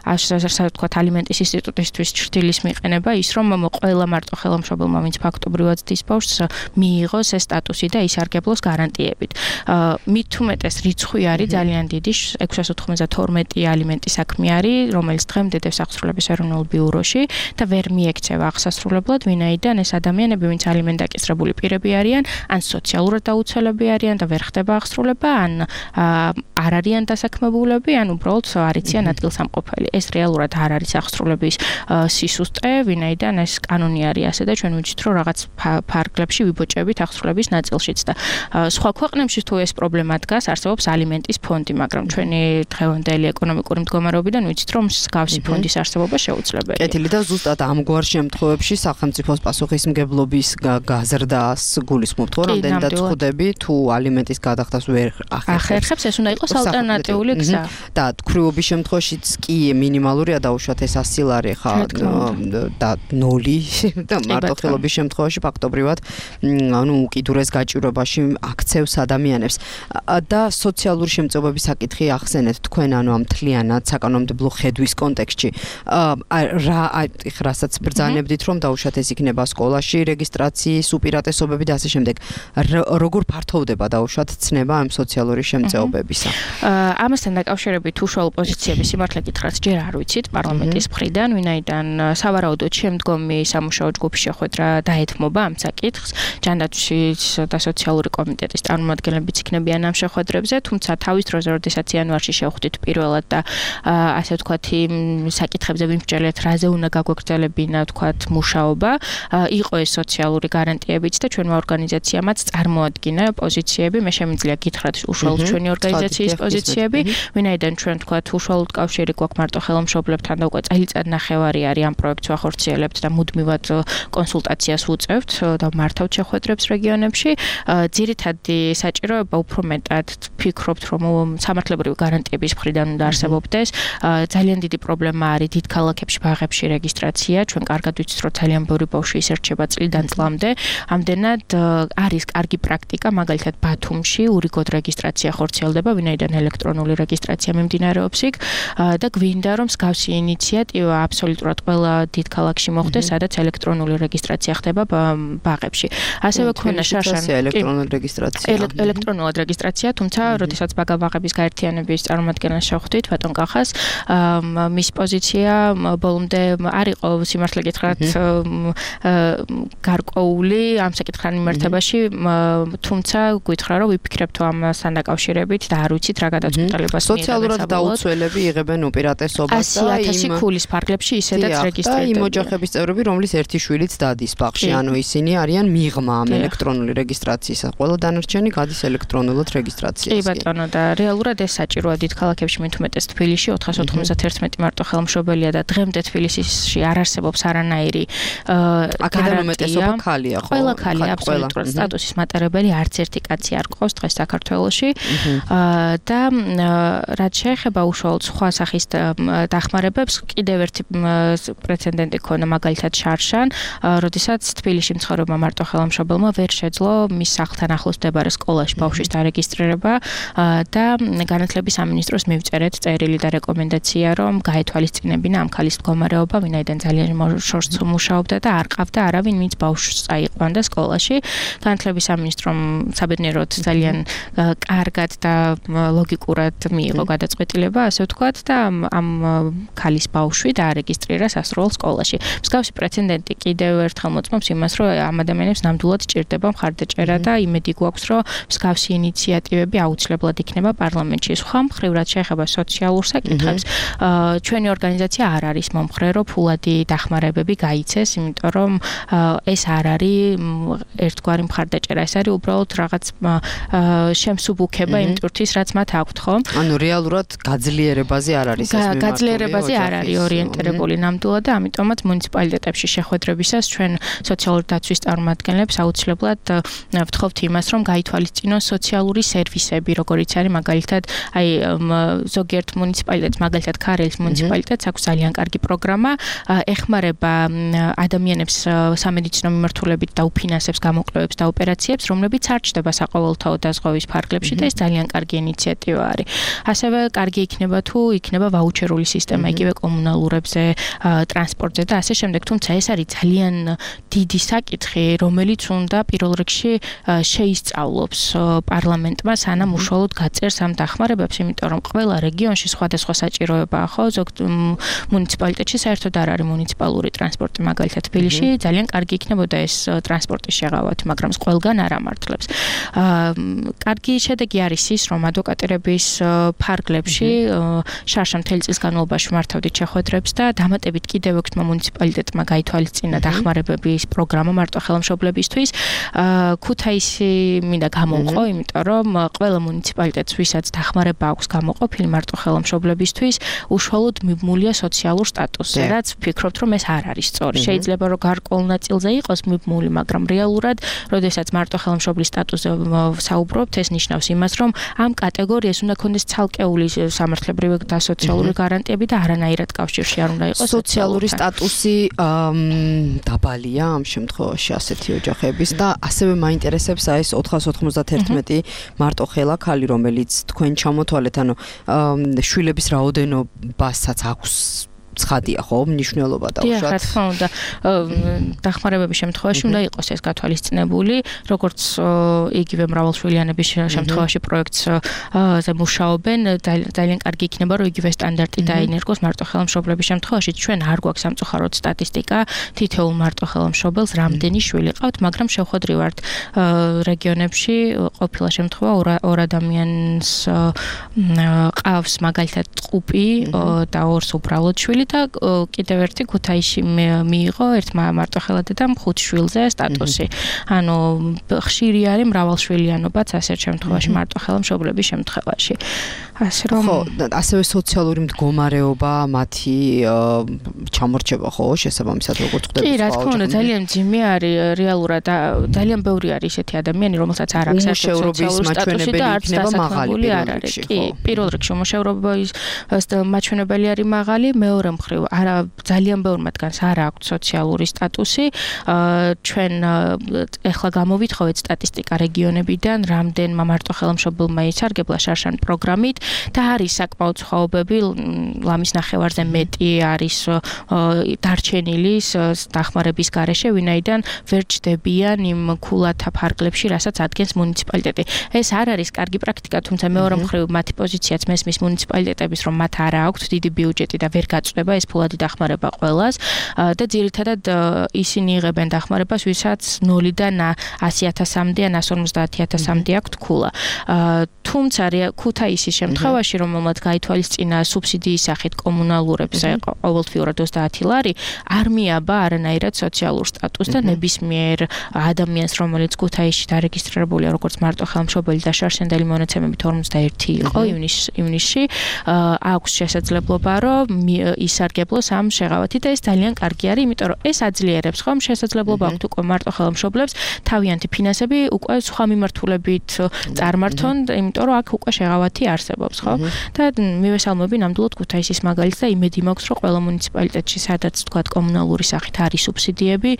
ასე ვთქვათ ალიმენტის ინსტიტუტისთვის ჭრილის მიყენება ის რომ ყველა მარტო ხელმშობელმა ვინც ფაქტობრივად ძის ბავშვს მიიღოს ეს სტატუსი და ისარგებლოს გარანტიებით. მით უმეტეს რიცხვი არის ძალიან დიდი ექვსას ოთხმოცდათორმეტი ალიმენტის საქმე არის, რომელიც დღემდე დევს აღსრულების ეროვნულ ბიუროში და ვერ მიექცევა აღსასრულებლად, ვინაიდან ეს ადამიანები ვინც ალიმენტდაკისრებული პირები არიან, ან სოციალურად დაუცველები არიან და ვერ ხდება აღსრულება, ან არ არიან დასაქმებულები, ან უბრალოდ არ იციან ადგილსამყოფელი. ეს რეალურად არ არის აღსრულების სისუსტე, ვინაიდან ეს კანონი არის ასე და ჩვენ ვიცით რომ რაღაც ფარგლებში ვიბოჭებით აღსრულების ნაწილშიც და სხვა ქვეყნებში თუ ეს პრობლემა დგას, არსებობს ალიმენტის ფონდი, მაგრამ ჩვენი დღევანდელი ეკონომიკური მდგომარეობიდან ვიცით რომ მსგავსი ფონდის არსებობა შეუძლებელია. კეთილი და ზუსტად ამგვარ შემთხვევებში სახელმწიფოს პასუხისმგებლობის გაზრდას გულისხმობთ, რომ რამდენადაც ხვდები თუ ალიმენტის გადახდას ვერ ახერხებს, ეს უნდა იყოს ალტერნატიული გზა. და თქვრივობის შემთხვევაშიც კი მინიმალურია დაუშვათ ეს ასი ლარი ხა და ნოლი და მარტო ხელობის შემთხვევაში ფაქტობრივად ანუ უკიდურეს გაჭირვებაში აქცევს ადამიანებს და სოციალური შემწეობების საკითხი ახსენეთ თქვენ ანუ ამ მთლიანად საკანონმდებლო ხედვის კონტექსტში რა რასაც ბრძანებდით რომ დაუშვათ ეს იქნება სკოლაში რეგისტრაციის უპირატესობები და ასე შემდეგ როგორ ფართოვდება დაუშვათ ცნება ამ სოციალური შემწეობებისა ამასთან დაკავშირებით უშუალო პოზიციების სიმართლე გითხრათ ჯერ არ ვიცით პარლამენტის მხრიდან ვინაიდან სავარაუდოდ შემდგომი სამუშაო ჯგუფი შეხვედრა დაეთმობა ამ საკითხს. ჯანდაცვის და სოციალური კომიტეტის წარმომადგენლებიც იქნებიან ამ შეხვედრებზე, თუმცა თავის დროზე, როდესაც იანვარში შევხვდით პირველად და ასე ვთქვათ, იმ საკითხებზე ვიმსჯელეთ, რაზე უნდა გაგვეგრძელებინა, ვთქვათ, მუშაობა, იყო ეს სოციალური გარანტიებიც და ჩვენმა ორგანიზაციამაც წარმოადგინა პოზიციები, მე შემიძლია გითხრათ უშუალოდ ჩვენი ორგანიზაციის პოზიციები, ვინაიდან ჩვენ ვთქვათ, უშუალოდ კავშირი გვაქვს მარტო ხელმშობლებთან და უკვე წელიწად ნახევარი არის ამ პროექტს ვახორციელებთ და მუდმივად კონსულტაციას ვუწევთ და მართავთ შეხვედრებს რეგიონებში. ძირითადი საჭიროება უფრო მეტად ვფიქრობთ, რომ სამართლებრივი გარანტიების მხრიდან უნდა არსებობდეს. ძალიან დიდი პრობლემა არის დიდ ქალაქებში ბაღებში რეგისტრაცია. ჩვენ კარგად ვიცით, რომ ძალიან ბევრი ბავშვი ისერჩება წლიდან წლამდე. ამდენად არის კარგი პრაქტიკა, მაგალითად ბათუმში ურიგოდ რეგისტრაცია ხორციელდება, ვინაიდან ელექტრონული რეგისტრაცია მიმდინარეობს იქ და გვინდა რომ მსგავსი ინიციატივა აბსოლუტურად ყველა დიდ ქალაქში მოხდეს, სადაც ელექტრონული რეგისტრაცია ხდება ბაღებში. ასევე ქონა შარშან ელექტრონული რეგისტრაცია. ელექტრონულად რეგისტრაცია, თუმცა როდესაც ბაღების გაერთიანების წარმომადგენელს შეხვდით, ბატონ კახას, მის პოზიცია ბოლომდე არ იყო სიმართლე გითხრათ გარკვეული ამ საკითხთან მიმართებაში, თუმცა გითხრა რომ ვიფიქრებთ ამასთან დაკავშირებით და არ ვიცით რა გადაწყვეტილებას მიიღებენ. სოციალურად დაუცველები იღებენ უპირატესობას და ათასი ქულის ფარგლებში ისედაც რეგისტრირდება. იმ ოჯახების წევრები, რომლის ერთი შვილიც დადის ბაღში, ანუ ისინი არიან მიღმა ამ ელექტრონული რეგისტრაციისა. ყველა დანარჩენი გადის ელექტრონულად რეგისტრაციაზე. კი ბატონო და რეალურად ეს საჭიროა დიდ ქალაქებში, მით უმეტეს თბილისში ოთხას ოთხმოცდაერთმეტი მარტო ხელმშობელია და დღემდე თბილისში არ არსებობს არანაირი აქედან უმეტესობა ქალია, ხო? ყველა ქალია აბსოლუტურად სტატუსის მატარებელი, არც ერთი კაცი არ ყავს დღეს საქართველოში. და რაც შეეხება უშუალოდ სხვა სახის დახმარებებს, კიდევ ერთი პრეცედენტი ქონა მაგალითად მაგალითად შარშან, როდესაც თბილისში მცხოვრებმა მარტოხელამშობელმა ვერ შეძლო მის სახლთან ახლოს მდებარე სკოლაში ბავშვის დარეგისტრირება და განათლების სამინისტროს მივწერეთ წერილი და რეკომენდაცია, რომ გაეთვალისწინებინა ამ ქალის მდგომარეობა, ვინაიდან ძალიან შორს მუშაობდა და არ ყავდა არავინ, ვინც ბავშვს წაიყვანდა სკოლაში. განათლების სამინისტრომ საბედნიეროდ ძალიან კარგად და ლოგიკურად მიიღო გადაწყვეტილება, ასე ვთქვათ, და ამ ქალის ბავშვი დაარეგისტრირა სასწავლო სკოლაში. მსგავსი პრეცედენტი კიდევ ერთხელ მოწმობს იმას, რომ ამ ადამიანებს ნამდვილად ჭირდება მხარდაჭერა და იმედი გვაქვს, რომ მსგავსი ინიციატივები აუცილებლად იქნება პარლამენტში. სხვა მხრივ, რაც შეეხება სოციალურ საკითხებს, ჩვენი ორგანიზაცია არ არის მომხრე, რომ ფულადი დახმარებები გაიცეს, იმიტომ რომ ეს არ არის ერთგვარი მხარდაჭერა, ეს არის უბრალოდ რაღაც შემსუბუქება იმ ტვირთის, რაც მათ აქვთ, ხო? ანუ რეალურად გაძლიერებაზე არ არის ეს მიმართული. გაძლიერებაზე არ არის ორიენტირებული ნამდვილად და ამიტომაც მუნიციპალიტეტებში შეხვედრებისას ჩვენ სოციალური დაცვის წარმომადგენლებს აუცილებლად ვთხოვთ იმას, რომ გაითვალისწინონ სოციალური სერვისები, როგორიც არის მაგალითად, აი ზოგიერთ მუნიციპალიტეტს, მაგალითად ქარელის მუნიციპალიტეტს აქვს ძალიან კარგი პროგრამა, ეხმარება ადამიანებს სამედიცინო მიმართულებით და უფინანსებს გამოკვლევებს და ოპერაციებს, რომლებიც არ ჩდება საყოველთაო დაზღვევის ფარგლებში და ეს ძალიან კარგი ინიციატივა არის. ასევე კარგი იქნება თუ იქნება ვაუჩერული სისტემა იგივე კომუნალურებზე, ტრანსპორტზე და ასე შემდეგ, თუმცა ეს არის ძალიან დიდი საკითხი, რომელიც უნდა პირველ რიგში შეისწავლოს პარლამენტმა, სანამ უშუალოდ გაწერს ამ დახმარებებს, იმიტომ რომ ყველა რეგიონში სხვადასხვა საჭიროებაა, ხო? ზოგ მუნიციპალიტეტში საერთოდ არ არის მუნიციპალური ტრანსპორტი, მაგალითად თბილისში ძალიან კარგი იქნებოდა ეს ტრანსპორტის შეღავათი, მაგრამ ყველგან არ ამართლებს. კარგი შედეგი არის ის, რომ ადვოკატირების ფარგლებში შარშან მთელი წლის განმავლობაში მართავდით შეხვედრებს და დამატებით კიდევ ექვსმა მუნიციპალიტეტმა გაითვალისწინა დახმარებების პროგრამა მარტოხელამშობლებისთვის. ქუთაისი მინდა გამოვყო, იმიტომ რომ ყველა მუნიციპალიტეტს, ვისაც დახმარება აქვს გამოყოფილი მარტოხელამშობლებისთვის, უშუალოდ მიბმულია სოციალურ სტატუსზე, რაც ვფიქრობთ, რომ ეს არ არის სწორი. შეიძლება რომ გარკვეულ ნაწილზე იყოს მიბმული, მაგრამ რეალურად, როდესაც მარტოხელამშობლის სტატუსზე საუბრობთ, ეს ნიშნავს იმას, რომ ამ კატეგორიას უნდა ქონდეს ცალკეული სამართლებრივი და სოციალური გარანტიები და არანაირად კავშირში არ უნდა იყოს სოციალური სტატუსი დაბალია ამ შემთხვევაში ასეთი ოჯახების და ასევე მაინტერესებს აი ეს ოთხას ოთხმოცდაათი მარტოხელა ქალი, რომელიც თქვენ ჩამოთვალეთ, ანუ შვილების რაოდენობასაც აქვს ცხადია, ხო, მნიშვნელობა და უშუალოდ. დიახ, რა თქმა უნდა, დახმარებების შემთხვევაში უნდა იყოს ეს გათვალისწინებული, როგორც იგივე მრავალშვილიანების შემთხვევაში პროექტზე მუშაობენ, ძალიან კარგი იქნება, რომ იგივე სტანდარტი დაინერგოს მარტოხელამშობლების შემთხვევაში. ჩვენ არ გვაქვს სამწუხაროდ სტატისტიკა თითოეულ მარტოხელამშობელს რამდენი შვილი ყავთ, მაგრამ შევხვედრივართ რეგიონებში ყოფილა შემთხვევა ორ ადამიანს ყავს მაგალითად ყუპი და ორს უბრალოდ შვილი და კიდევ ერთი ქუთაისში მიიღო ერთმა მარტოხელადედამ ხუთ შვილზე სტატუსი. ანუ ხშირი არის მრავალშვილიანობაც ასეთ შემთხვევაში მარტოხელამშობლების შემთხვევაში. ასე რომ ხო, ასევე სოციალური მდგომარეობა მათი ჩამორჩება, ხო, შესაბამისად როგორც ხდება. კი, რა თქმა უნდა, ძალიან მძიმე არის რეალურად ძალიან ბევრი არის ესეთი ადამიანი, რომელსაც არ აქვს სოციალური სტატუსი და არც დასაქმებული არ არის. კი, პირველ რიგში უმუშევრობის მაჩვენებელი არის მაღალი, მეორე მხრივ არა ძალიან ბევრ მათგანს არ აქვს სოციალური სტატუსი. ჩვენ ეხლა გამოვითხოვეთ სტატისტიკა რეგიონებიდან, რამდენმა მარტოხელამშობელმა ისარგებლა შარშან პროგრამით და არის საკმაოდ სხვაობები, ლამის ნახევარზე მეტი არის დარჩენილი დახმარების გარეშე, ვინაიდან ვერ ჩდებიან იმ ქულათა ფარგლებში, რასაც ადგენს მუნიციპალიტეტი. ეს არ არის კარგი პრაქტიკა, თუმცა მეორე მხრივ მათი პოზიციაც მესმის მუნიციპალიტეტების, რომ მათ არა აქვთ დიდი ბიუჯეტი და ვერ გაწყვება ეს ფულადი დახმარება ყველას და ძირითადად ისინი იღებენ დახმარებას, ვისაც ნოლიდან ასი ათასამდე ან ასი ორმოცდაათი ათასამდე აქვთ ქულა. თუმცა ქუთაისის შემთხვევაში, რომელმაც გაითვალისწინა სუბსიდიის სახით კომუნალურებზე ყოველთვიურად ოცდაათი ლარი, არ მიაბა არანაირად სოციალურ სტატუსს და ნებისმიერ ადამიანს, რომელიც ქუთაისში დარეგისტრირებულია როგორც მარტოხელამშობელი და შარშანდელი მონაცემებით ორმოცდაერთი იყო ივნისში, აქვს შესაძლებლობა, რომ ისარგებლოს ამ შეღავათით და ეს ძალიან კარგი არის, იმიტომ რომ ეს აძლიერებს ხომ შესაძლებლობა აქვთ უკვე მარტოხელამშობლებს თავიანთი ფინანსები უკვე სხვა მიმართულებით წარმართონ, იმიტომ რომ აქ უკვე შეღავათი არსებობს. არსებობს, ხო? და მივესალმები ნამდვილად ქუთაისის მაგალითს და იმედი მაქვს, რომ ყველა მუნიციპალიტეტში, სადაც თქვა კომუნალური სახით არის სუბსიდიები,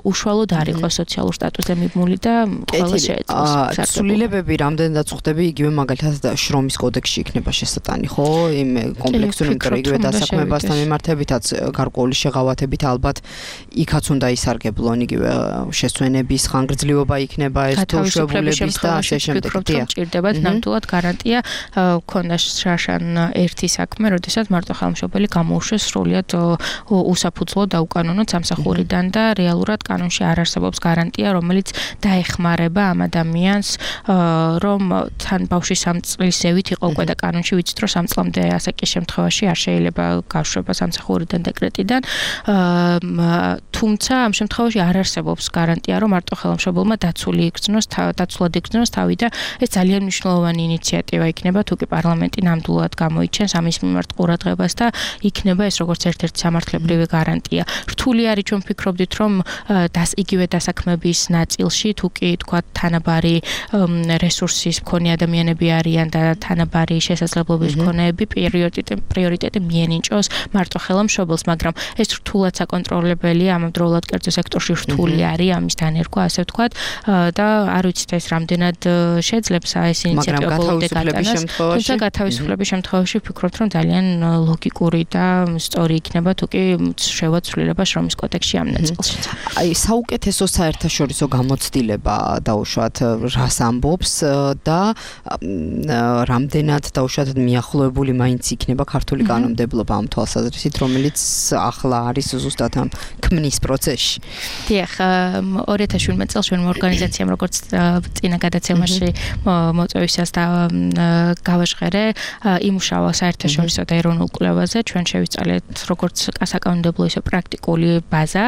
უშუალოდ არ იყოს სოციალურ სტატუსზე მიბმული და ყველა შეეძლოს. სულილებები რამდენადაც ხვდები, იგივე მაგალითად შრომის კოდექსში იქნება შესატანი, ხო? იმ კომპლექსური ინტერიგივე დასაქმებასთან მიმართებითაც გარკვეული შეღავათებით ალბათ იქაც უნდა ისარგებლონ იგივე შესვენების ხანგრძლივობა იქნება ეს თუშებულების და ასე შემდეგ. ჭირდებათ ნამდვილად გარანტია ქონდა შაშან ერთი საქმე, როდესაც მარტო ხელმშობელი გამოუშვეს სრულიად უსაფუძვლო და უკანონო სამსახურიდან და რეალურად კანონში არ არსებობს გარანტია, რომელიც დაეხმარება ამ ადამიანს, რომ თან ბავშვი სამ წლისევით იყო უკვე და კანონში ვიცით, რომ სამ წლამდე ასე კი შემთხვევაში არ შეიძლება გაშვება სამსახურიდან დეკრეტიდან. თუმცა ამ შემთხვევაში არ არსებობს გარანტია, რომ მარტო ხელმშობელმა დაცული იგრძნოს, დაცულად იგრძნოს თავი და ეს ძალიან მნიშვნელოვანი ინიციატივა იქნება, თუ კი პარლამენტი ნამდვილად გამოიჩენს ამის მიმართ ყურადღებას და იქნება ეს როგორც ერთ-ერთი სამართლებრივი გარანტია. რთული არის ჩვენ ვფიქრობდით, რომ დას იგივე დასაქმების ნაწილში, თუ კი თქვა თანაბარი რესურსის მქონე ადამიანები არიან და თანაბარი შესაძლებლობის მქონეები პრიორიტეტი პრიორიტეტი მიენიჭოს მარტო ხელმშობელს, მაგრამ ეს რთულად საკონტროლებელია, ამავდროულად კერძო სექტორში რთული არის ამის დანერგვა, ასე ვთქვათ, და არ ვიცით ეს რამდენად შეძლებს ეს ინიციატივა ბოლომდე გატანას. თუმცა გათავისუფლების შემთხვევაში ვფიქრობთ, რომ ძალიან ლოგიკური და სწორი იქნება, თუ კი შევაცვლილება შრომის კოდექსში ამ ნაწილში. აი, საუკეთესო საერთაშორისო გამოცდილება დაუშვათ რას ამბობს და რამდენად დაუშვათ მიახლოებული მაინც იქნება ქართული კანონმდებლობა ამ თვალსაზრისით, რომელიც ახლა არის ზუსტად ამ ქმნის პროცესში. დიახ, ორი ათას შვიდმეტ წელს ჩვენმა ორგანიზაციამ როგორც წინა გადაცემაში მოწვევისას და გავაჟღერე, იმუშავა საერთაშორისო და ეროვნულ კვლევაზე, ჩვენ შევისწავლეთ როგორც საკანონმდებლო ისე პრაქტიკული ბაზა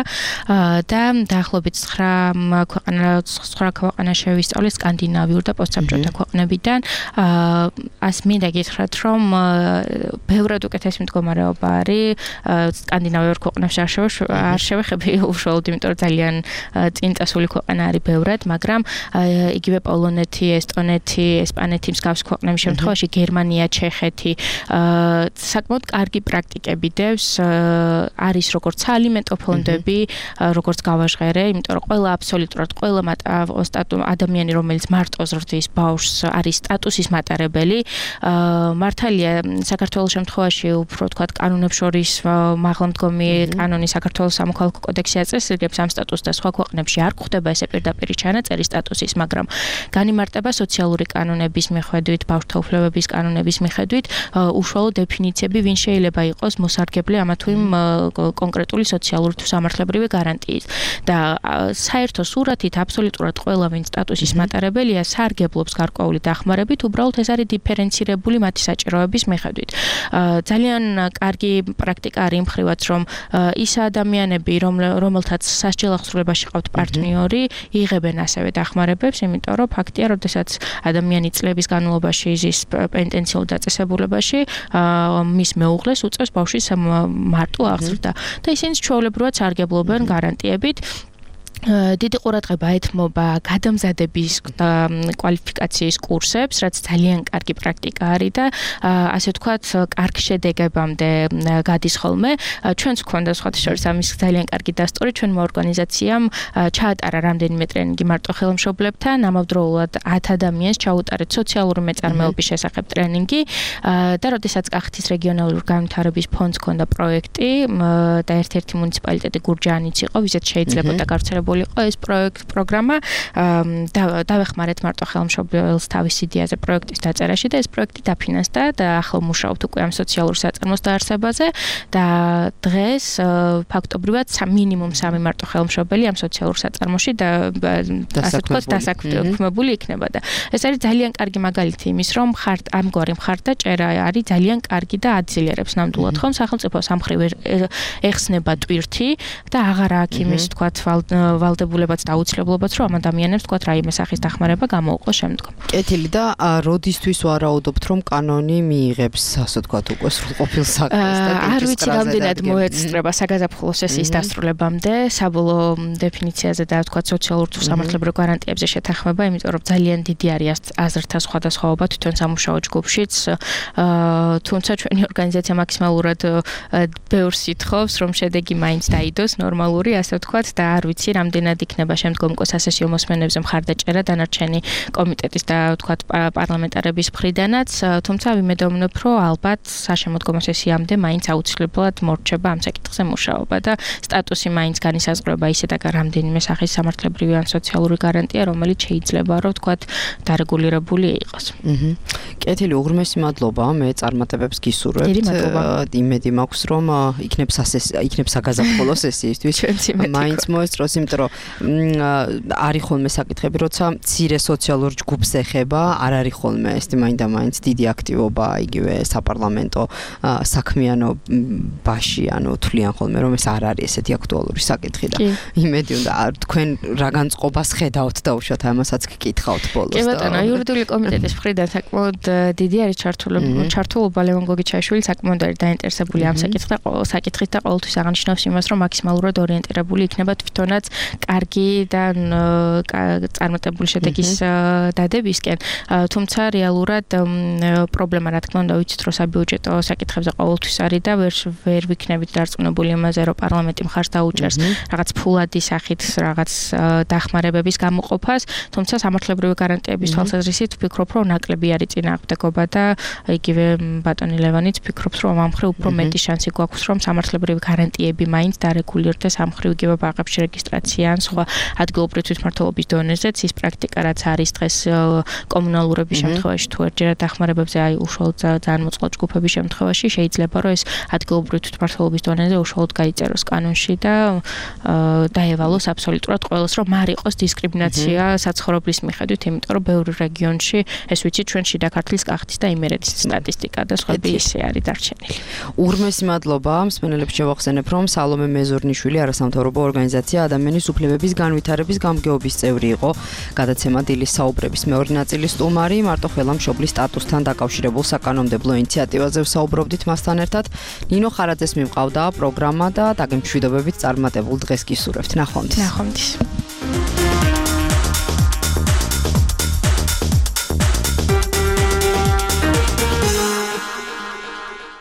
და დაახლოებით ცხრა ქვეყანა ცხრა ქვეყანა შევისწავლეთ სკანდინავიურ და პოსტსაბჭოთა ქვეყნებიდან. ას მინდა გითხრათ, რომ ბევრად უკეთესი მდგომარეობა არის სკანდინავიურ ქვეყნებში არ შევეხები უშუალოდ, იმიტომ რომ ძალიან წინწასული ქვეყანა არის ბევრად, მაგრამ იგივე პოლონეთი, ესტონეთი, ესპანეთი მსგავს ქვეყნების შემთხვევაში გერმანია, ჩეხეთი საკმაოდ კარგი პრაქტიკები დევს, არის როგორც საალიმენტო ფონდები, როგორც გავაჟღერე, იმიტომ რომ ყველა აბსოლუტურად ყველა ადამიანი, რომელიც მარტო ზრდის ბავშვს, არის სტატუსის მატარებელი. მართალია საქართველოს შემთხვევაში უფრო თქვა კანონებს შორის მაღალმდგომი კანონი საქართველოს სამოქალაქო კოდექსი აწესრიგებს ამ სტატუსს და სხვა ქვეყნებში არ გვხდება ესე პირდაპირ ჩანაწერი სტატუსის, მაგრამ განიმარტება სოციალური კანონების მიხედვით, ბავშვთა უფლებების კანონების მიხედვით უშუალო დეფინიციები, ვინ შეიძლება იყოს მოსარგებლე ამა თუ იმ კონკრეტული სოციალური თუ სამართლებრივი გარანტიის. და საერთო სურათით აბსოლუტურად ყველა ვინ სტატუსის მატარებელია სარგებლობს გარკვეული დახმარებით, უბრალოდ ეს არის დიფერენცირებული მათი საჭიროების მიხედვით. ძალიან კარგი პრაქტიკა არის იმ მხრივაც, რომ ის ადამიანები, რომელთაც სასჯელ აღსრულებაში ყავთ პარტნიორი, იღებენ ასევე დახმარებებს, იმიტომ რომ ფაქტია, როდესაც ადამიანი წლების განმავლობაში იზის პენტენციურ დაწესებულებაში, მის მეუღლეს უწევს ბავშვის მარტო აღზრდა და ისინი ჩვეულებრივად სარგებლობენ გარანტიებით. დიდი ყურადღება ეთმობა გადამზადების კვალიფიკაციის კურსებს, რაც ძალიან კარგი პრაქტიკა არის და ასე ვთქვათ, კარგ შედეგებამდე გადის ხოლმე. ჩვენც გვქონდა სხვათა შორის ამის ძალიან კარგი დასტური, ჩვენმა ორგანიზაციამ ჩაატარა რამდენიმე ტრენინგი მარტო ხელმშობლებთან, ამავდროულად ათ ადამიანს ჩაუტარეთ სოციალური მეწარმეობის შესახებ ტრენინგი და როდესაც კახეთის რეგიონალური განვითარების ფონდს ჰქონდა პროექტი და ერთ-ერთი მუნიციპალიტეტი გურჯაანიც იყო, ვიზეთ შეიძლებოდა გავრცელებული იყო ეს პროექტ პროგრამა და დავეხმარეთ მარტო ხელმშობელს თავის იდეაზე პროექტის დაწერაში და ეს პროექტი დაფინანსდა და ახლა მუშაობთ უკვე ამ სოციალურ საწარმოს დაარსებაზე და დღეს ფაქტობრივად მინიმუმ სამი მარტო ხელმშობელი ამ სოციალურ საწარმოში და ასე ვთქვათ დასაქმებული იქნება და ეს არის ძალიან კარგი მაგალითი იმის, რომ ხართ ამგვარი მხარდაჭერა არის ძალიან კარგი და აძლიერებს ნამდვილად ხომ სახელმწიფოს ამ მხრივ ეხსნება ტვირთი და აღარა აქვს იმის ვთქვათ ვალდებულებაც და აუცილებლობაც, რომ ამ ადამიანებს თქვა რაიმე სახის დახმარება გამოუყოს შემდგომ. კეთილი და როდისთვის ვარაუდობთ, რომ კანონი მიიღებს, ასე ვთქვათ, უკვე სრულყოფილ საქმეს და არ ვიცი რამდენად მოეწრება საგაზაფხულო სესიის დასრულებამდე, საბოლოო დეფინიციაზე და თქვა სოციალურ თუ სამართლებრივ გარანტიებზე შეთანხმება, იმიტომ რომ ძალიან დიდი არის აზრთა სხვადასხვაობა თვითონ სამუშაო ჯგუფშიც, თუმცა ჩვენი ორგანიზაცია მაქსიმალურად ბევრს ითხოვს, რომ შედეგი მაინც დაიდოს ნორმალური, ასე ვთქვათ, და არ ვიცი რამდენად იქნება შემდგომ სასესიო მოსმენებზე მხარდაჭერა დანარჩენი კომიტეტის და ვთქვათ პარლამენტარების მხრიდანაც, თუმცა ვიმედოვნებ, რომ ალბათ საშემოდგომო სესიამდე მაინც აუცილებლად მორჩება ამ საკითხზე მუშაობა და სტატუსი მაინც განისაზღვრება ისე და რამდენიმე სახის სამართლებრივი ან სოციალური გარანტია, რომელიც შეიძლება რომ ვთქვათ დარეგულირებული იყოს. აჰა. კეთილი, უღრმესი მადლობა, მე წარმატებებს გისურვებთ. დიდი მადლობა. იმედი მაქვს, რომ იქნებ იქნებ საგაზაფხულო სესიისთვის. მაინც მოესწროს, იმიტომ რომ არის ხოლმე საკითხები, როცა მცირე სოციალურ ჯგუფს ეხება, არ არის ხოლმე ეს მაინდა მაინც დიდი აქტივობა იგივე საპარლამენტო საქმიანობაში, ანუ თვლიან ხოლმე რომ ეს არ არის ესეთი აქტუალური საკითხი და იმედი უნდა თქვენ რა განწყობას ხედავთ და უშუალოდ ამასაც გკითხავთ ბოლოს. კი ბატონო, იურიდიული კომიტეტის მხრიდან საკმაოდ დიდი არის ჩართულობა, ჩართულობა ლევონ გოგიჩაიშვილი საკმაოდ არის დაინტერესებული ამ საკითხით და საკითხით და ყოველთვის აღნიშნავს იმას, რომ მაქსიმალურად ორიენტირებული იქნება თვითონაც კარგი და წარმატებული შედეგის დადებისკენ, თუმცა რეალურად პრობლემა რა თქმა უნდა ვიცით, რომ საბიუჯეტო საკითხებზე ყოველთვის არის და ვერ ვერ ვიქნებით დარწმუნებული იმაზე, რომ პარლამენტი მხარს დაუჭერს რაღაც ფულადი სახით რაღაც დახმარებების გამოყოფას, თუმცა სამართლებრივი გარანტიების თვალსაზრისით ვფიქრობ, რომ ნაკლები არის წინააღმდეგობა და იგივე ბატონი ლევანიც ფიქრობს, რომ ამ მხრივ უფრო მეტი შანსი გვაქვს, რომ სამართლებრივი გარანტიები მაინც დარეგულირდეს ამ მხრივ იგივე ბაღებში რეგისტრაცია ან სხვა ადგილობრივი თვითმმართველობის დონეზეც ის პრაქტიკა, რაც არის დღეს კომუნალურების შემთხვევაში თუ ერთჯერად დახმარებებზე აი უშუალოდ ძალიან მოწყვლად ჯგუფების შემთხვევაში შეიძლება, რომ ეს ადგილობრივი თვითმმართველობის დონეზე უშუალოდ გაიწეროს კანონში და დაევალოს აბსოლუტურად ყველას, რომ არ იყოს დისკრიმინაცია საცხოვრებლის მიხედვით, იმიტომ რომ ბევრ რეგიონში ეს ვიცით ჩვენ შიდა ქართლის კახეთის და იმერეთის სტატისტიკა და სხვები ისე არის დარჩენილი. უღრმესი მადლობა, მსმენელებს შევახსენებ, რომ სალომე მეზორნიშვილი არასამთავრობო ორგანიზაცია ადამიანის უფლებების განვითარების გამგეობის წევრი იყო. გადაცემა დილის საუბრების მეორე ნაწილის სტუმარი, მარტო ხელა მშობლის სტატუსთან დაკავშირებულ საკანონმდებლო ინიციატივაზე ვსაუბრობდით მასთან ერთად. ნინო ხარაძეს მიმყავდა პროგრამა და დაგემშვიდობებით წარმატებულ დღეს გისურვებთ. ნახვამდის. ნახვამდის.